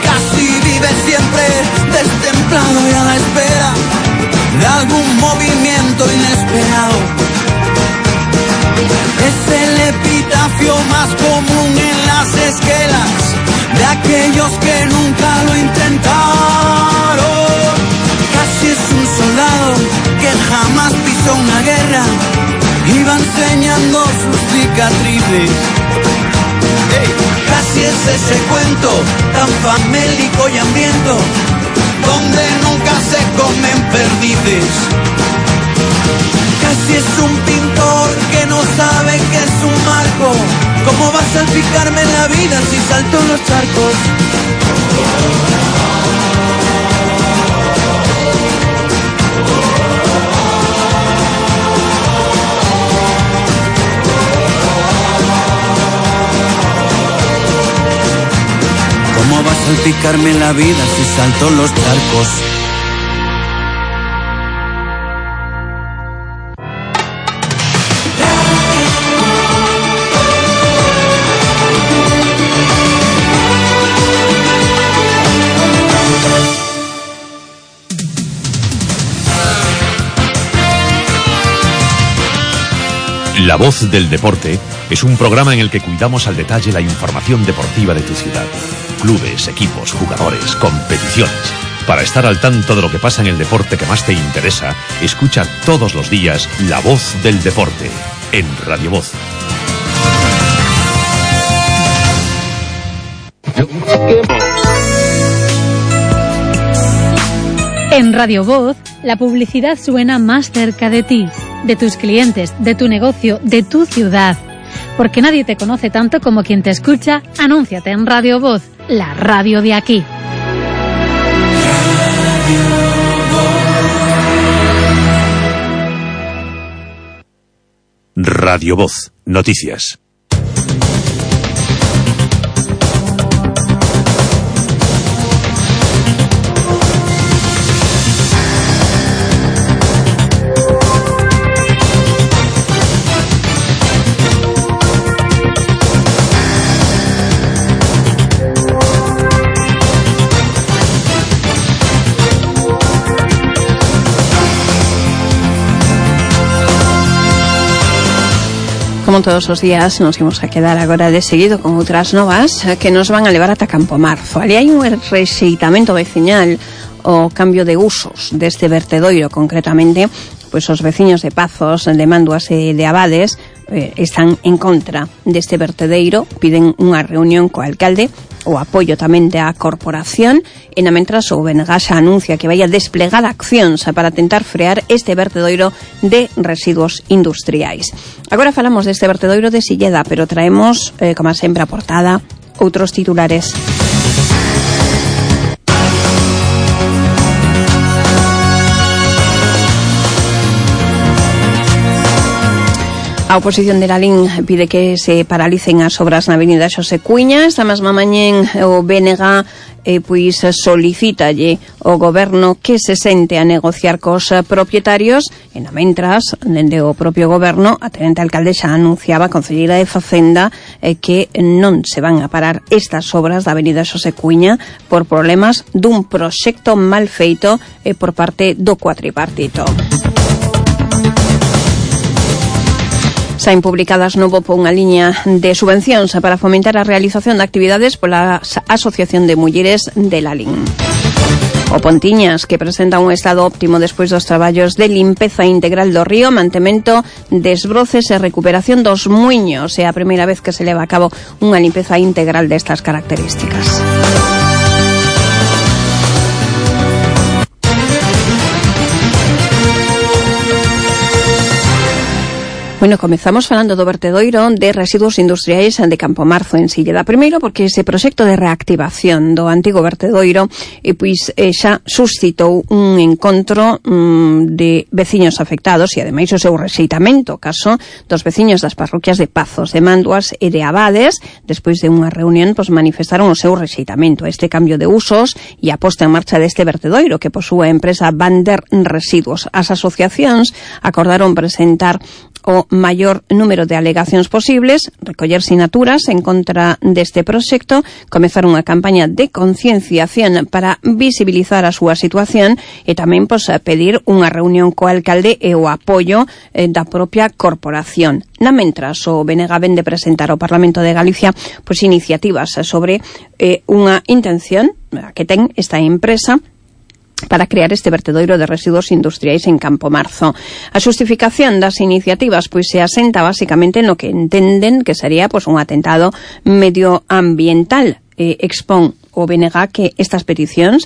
S6: Casi vive siempre destemplado y a la espera de algún movimiento inesperado. Es el epitafio más común en las esquelas de aquellos que nunca lo intentaron. Casi es un soldado que jamás pisó una guerra, iba enseñando sus cicatrices. Casi es ese cuento tan famélico y hambriento, donde nunca se comen perdices. Casi es un pintor que no sabe que es un marco. ¿Cómo va a salpicarme la vida si salto en los charcos? ¿Cómo va a salpicarme la vida si salto en los charcos?
S5: La Voz del Deporte es un programa en el que cuidamos al detalle la información deportiva de tu ciudad. Clubes, equipos, jugadores, competiciones. Para estar al tanto de lo que pasa en el deporte que más te interesa, escucha todos los días La Voz del Deporte en Radio Voz.
S8: En Radio Voz, la publicidad suena más cerca de ti, de tus clientes, de tu negocio, de tu ciudad. Porque nadie te conoce tanto como quien te escucha. Anúnciate en Radio Voz, la radio de aquí.
S5: Radio Voz, noticias.
S2: Como todos os días, nos imos a quedar agora de seguido con outras novas que nos van a levar ata Campo Marzo. Ali hai un rexeitamento veciñal, o cambio de usos deste vertedoiro, concretamente, pois os veciños de Pazos, de Manduas e de Abades están en contra deste vertedeiro, piden unha reunión co alcalde, o apoio tamén da corporación, e na mentras o BNG xa anuncia que vai a desplegar accións para tentar frear este vertedoiro de residuos industriais. Agora falamos deste vertedoiro de Silleda, pero traemos, como sempre, a portada outros titulares. A oposición de Lalín pide que se paralicen as obras na avenida Xosé Cuíña. Esta mesma mañén o BNG pois solicítalle ao goberno que se sente a negociar cos propietarios, e na mentras, dende o propio goberno, a tenente alcalde xa anunciaba a concelleira de Facenda que non se van a parar estas obras da avenida Xosé Cuíña por problemas dun proxecto mal feito por parte do cuatripartito. Saen publicadas no BOP unha liña de subvencións para fomentar a realización de actividades pola Asociación de Mulleres de Lalín. O Pontiñas, que presenta un estado óptimo despois dos traballos de limpeza integral do río, mantemento, desbroces e recuperación dos muiños. É a primeira vez que se leva a cabo unha limpeza integral destas características. Bueno, comezamos falando do vertedoiro de residuos industriais de Campo Marzo en Silleda. Primeiro porque ese proxecto de reactivación do antigo vertedoiro pois xa suscitou un encontro de veciños afectados e ademais o seu rexeitamento, caso dos veciños das parroquias de Pazos, de Manduas e de Abades. Despois de unha reunión, pois manifestaron o seu rexeitamento a este cambio de usos e a posta en marcha deste vertedoiro que posúe a empresa Bander Residuos. As asociacións acordaron presentar o maior número de alegacións posibles, recoller sinaturas en contra deste proxecto, comezar unha campaña de concienciación para visibilizar a súa situación e tamén pedir unha reunión co alcalde e o apoio da propia corporación. Na mentras, o BNG vende presentar ao Parlamento de Galicia iniciativas sobre unha intención que ten esta empresa para crear este vertedoiro de residuos industriais en Campomarzo. A xustificación das iniciativas se asenta basicamente no que entenden que sería un atentado medioambiental. Expón o BNG que estas peticións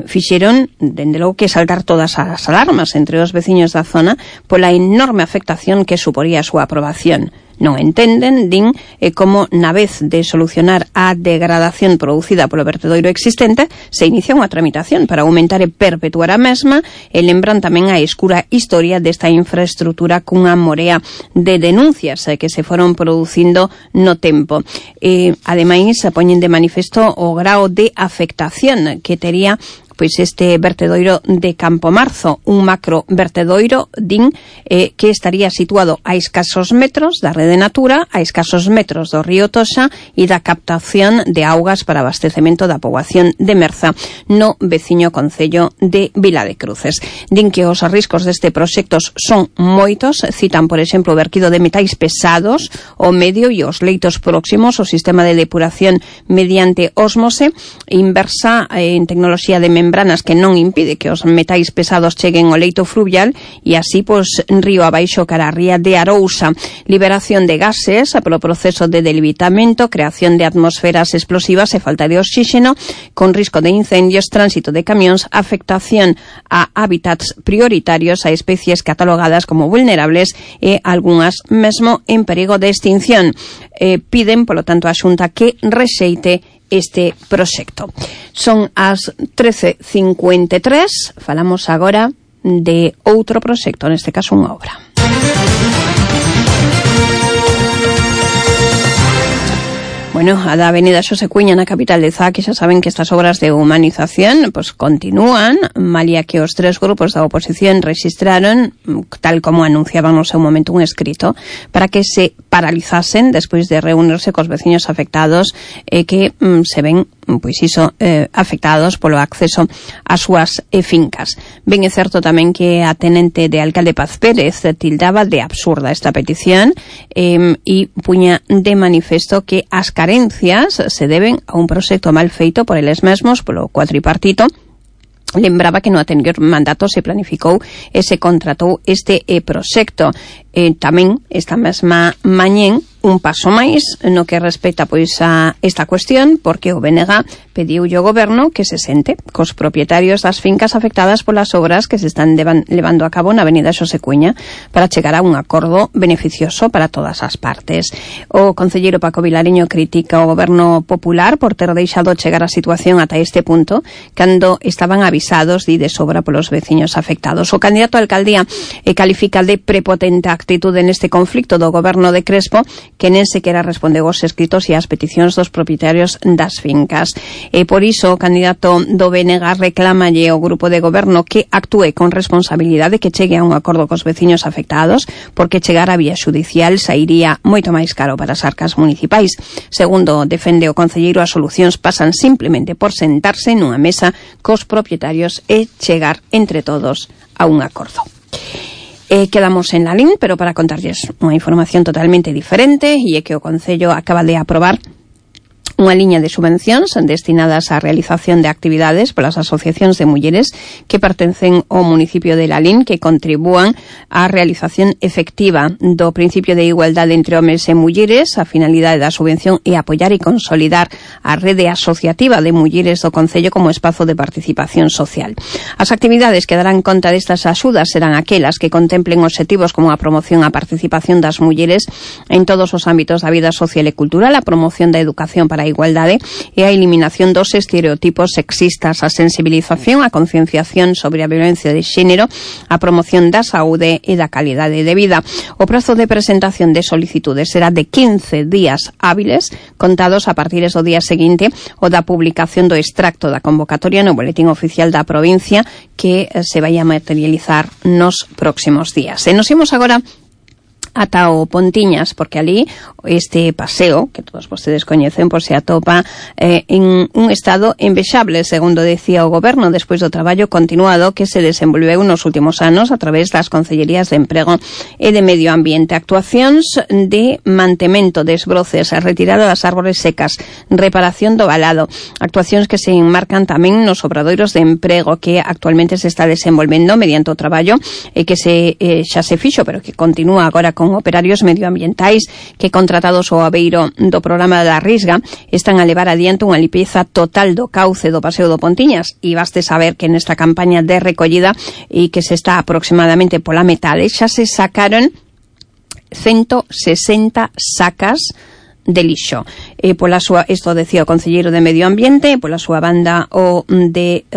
S2: fixeron, dende logo, que saltar todas as alarmas entre os veciños da zona pola enorme afectación que suporía a súa aprobación. Non entenden, din, como na vez de solucionar a degradación producida polo vertedoiro existente se inicia unha tramitación para aumentar e perpetuar a mesma, e lembran tamén a escura historia desta infraestrutura cunha morea de denuncias que se foron producindo no tempo. Ademais, poñen de manifesto o grao de afectación que tería este vertedoiro de Campomarzo, un macro vertedoiro, din, que estaría situado a escasos metros da rede Natura, a escasos metros do río Toxa e da captación de augas para abastecemento da poboación de Merza no veciño concello de Vila de Cruces. Din que os riscos deste proxecto son moitos, citan, por exemplo, o verquido de metais pesados, o medio e os leitos próximos, o sistema de depuración mediante ósmose inversa en tecnoloxía de membranas que non impide que os metais pesados cheguen ao leito fluvial e así, río abaixo cara a ría de Arousa. Liberación de gases polo proceso de delimitamiento, creación de atmosferas explosivas e falta de oxígeno, con risco de incendios, tránsito de camións, afectación a hábitats prioritarios, a especies catalogadas como vulnerables e algunhas mesmo en perigo de extinción. Piden, polo tanto, a Xunta que rexeite este proxecto. Son as 13:53, falamos agora de outro proxecto, neste caso unha obra. Bueno, a da Avenida Xosé Cuña na capital de Zá, que xa saben que estas obras de humanización continúan, malia que os tres grupos da oposición registraron, tal como anunciaban no seu momento, un escrito para que se paralizasen despois de reunirse cos veciños afectados que se ven afectados polo acceso ás súas fincas. Ben é certo tamén que a tenente de alcalde Paz Pérez tildaba de absurda esta petición e puña de manifesto que as carencias se deben a un proxecto mal feito por eles mesmos, polo cuatripartito. Lembraba que no anterior mandato se planificou e se contratou este proxecto. Tamén esta mesma mañén un paso máis no que respecta a esta cuestión, porque o BNG pediulle ao goberno que se sente cos propietarios das fincas afectadas polas obras que se están levando a cabo na Avenida Xosé Cuña para chegar a un acordo beneficioso para todas as partes. O concelleiro Paco Vilariño critica o goberno popular por ter deixado chegar a situación ata este punto cando estaban avisados de sobra polos veciños afectados. O candidato a alcaldía califica de prepotente a actitude neste conflicto do goberno de Crespo, que nen sequera respondeu aos escritos e ás peticións dos propietarios das fincas. E por iso o candidato do BNG reclámalle ao grupo de goberno que actúe con responsabilidade, que chegue a un acordo cos veciños afectados, porque chegar a vía xudicial sairía moito máis caro para as arcas municipais. Segundo defende o concelleiro, as solucións pasan simplemente por sentarse nunha mesa cos propietarios e chegar entre todos a un acordo. Quedamos en la LIN, pero para contarles unha información totalmente diferente, e é que o Concello acaba de aprobar unha liña de subvencións destinadas á realización de actividades polas asociacións de mulleres que pertencen ao municipio de Lalín, que contribúan á realización efectiva do principio de igualdade entre homes e mulleres. A finalidade da subvención é apoiar e consolidar a rede asociativa de mulleres do Concello como espazo de participación social. As actividades que darán conta destas axudas serán aquelas que contemplen obxectivos como a promoción á participación das mulleres en todos os ámbitos da vida social e cultural, a promoción da educación para a igualdade e a eliminación dos estereotipos sexistas, a sensibilización, a concienciación sobre a violencia de xénero, a promoción da saúde e da calidade de vida. O prazo de presentación de solicitudes será de 15 días hábiles, contados a partir do día seguinte o da publicación do extracto da convocatoria no Boletín Oficial da provincia, que se vai a materializar nos próximos días. E nos imos agora ata o Pontiñas, porque ali este paseo, que todos vostedes coñecen, pois se atopa en un estado envexable, segundo decía o goberno, despois do traballo continuado que se desenvolveu nos últimos anos a través das Concellerías de Emprego e de Medio Ambiente. Actuacións de mantemento, desbroces, retirada das árbores secas, reparación do valado, actuacións que se enmarcan tamén nos obradoiros de emprego que actualmente se está desenvolvendo mediante o traballo que xa se fixo, pero que continúa agora con operarios medioambientais que, contratados ao abeiro do programa da Risga, están a levar adiante unha limpeza total do cauce do Paseo do Pontiñas, e baste saber que nesta campaña de recollida e que se está aproximadamente pola metade xa se sacaron 160 sacas de lixo. Pola súa, isto decía o concelleiro de Medio Ambiente, pola súa banda o de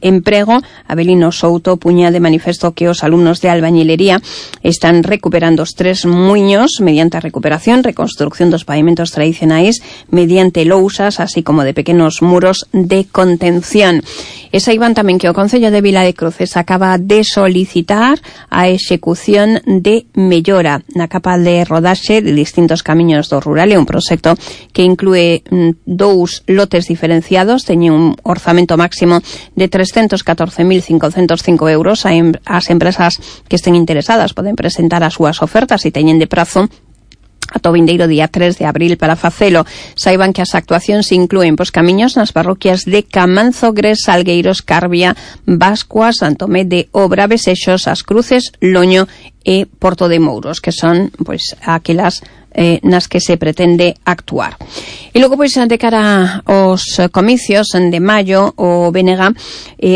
S2: Emprego, Abelino Souto, puña de manifesto que os alumnos de albañilería están recuperando os 3 muiños mediante a recuperación, reconstrucción dos pavimentos tradicionais mediante lousas, así como de pequenos muros de contención. E saiban tamén que o Concello de Vila de Cruces acaba de solicitar a execución de mellora na capa de rodaxe de distintos camiños do rural. É un proxecto que inclúe 2 lotes diferenciados, teñen un orzamento máximo de 314.505 euros. As empresas que estén interesadas poden presentar as súas ofertas e teñen de prazo ata o vindeiro día 3 de abril para facelo. Saiban que as actuacións inclúen pois camiños nas parroquias de Camanzo, Gres, Salgueiros, Carbia, Bascua, Santomé de Obra, Besexos, As Cruces, Loño e Porto de Mouros, que son pois aquelas nas que se pretende actuar. E logo, pois, de cara aos comicios de maio, o BNG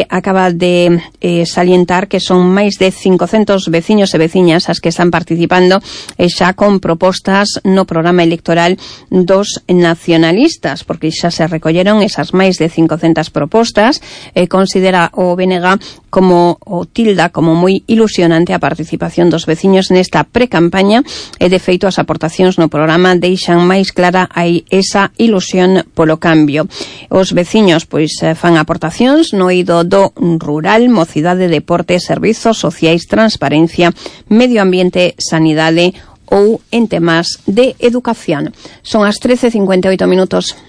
S2: acaba de salientar que son máis de 500 veciños e veciñas as que están participando xa con propostas no programa electoral dos nacionalistas, porque xa se recolleron esas máis de 500 propostas. Considera o BNG como o tilda como moi ilusionante a participación dos veciños nesta precampaña, e de feito as aportacións no programa deixan máis clara aí esa ilusión polo cambio. Os veciños pois fan aportacións no eido do rural, mocidade, deporte, servizos sociais, transparencia, medio ambiente, sanidade ou en temas de educación. Son as 13:58 minutos.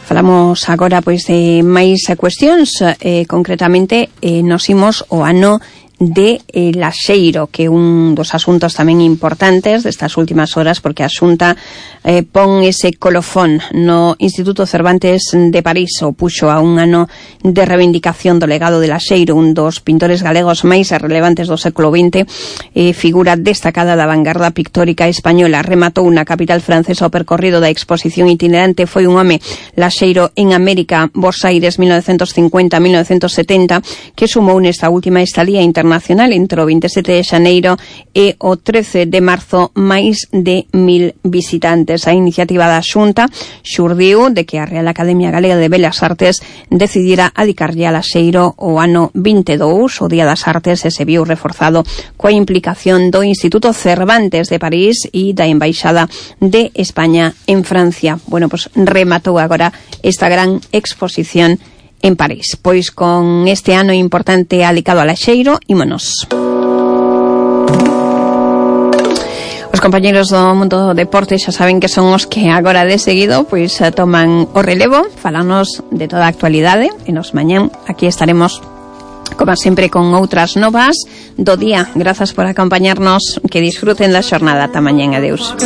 S2: Falamos agora pois de máis cuestións, concretamente nos imos o ano de Laxeiro, que é un dos asuntos tamén importantes destas últimas horas, porque a Xunta pon ese colofón no Instituto Cervantes de París, o puxo a un ano de reivindicación do legado de Laxeiro, un dos pintores galegos máis relevantes do século XX, figura destacada da vanguarda pictórica española. Rematou na capital francesa o percorrido da exposición itinerante Foi un home, Laxeiro en América, Bos Aires 1950-1970, que sumou nesta última estadía internacional entre o 27 de xaneiro e o 13 de marzo máis de 1000 visitantes. A iniciativa da Xunta xurdiu de que a Real Academia Galega de Belas Artes decidira adicarlle a Laxeiro o ano 22, o Día das Artes, e se viu reforzado coa implicación do Instituto Cervantes de París e da Embaixada de España en Francia. Bueno, pues rematou agora esta gran exposición en París. Pois con este ano importante adicado a Laxeiro, ímonos. Os compañeros do mundo do deporte xa saben que son os que agora de seguido pois toman o relevo, falanos de toda a actualidade, e nos mañán aquí estaremos como sempre con outras novas do día. Grazas por acompañarnos, que disfruten da xornada. Ata mañán, adeus.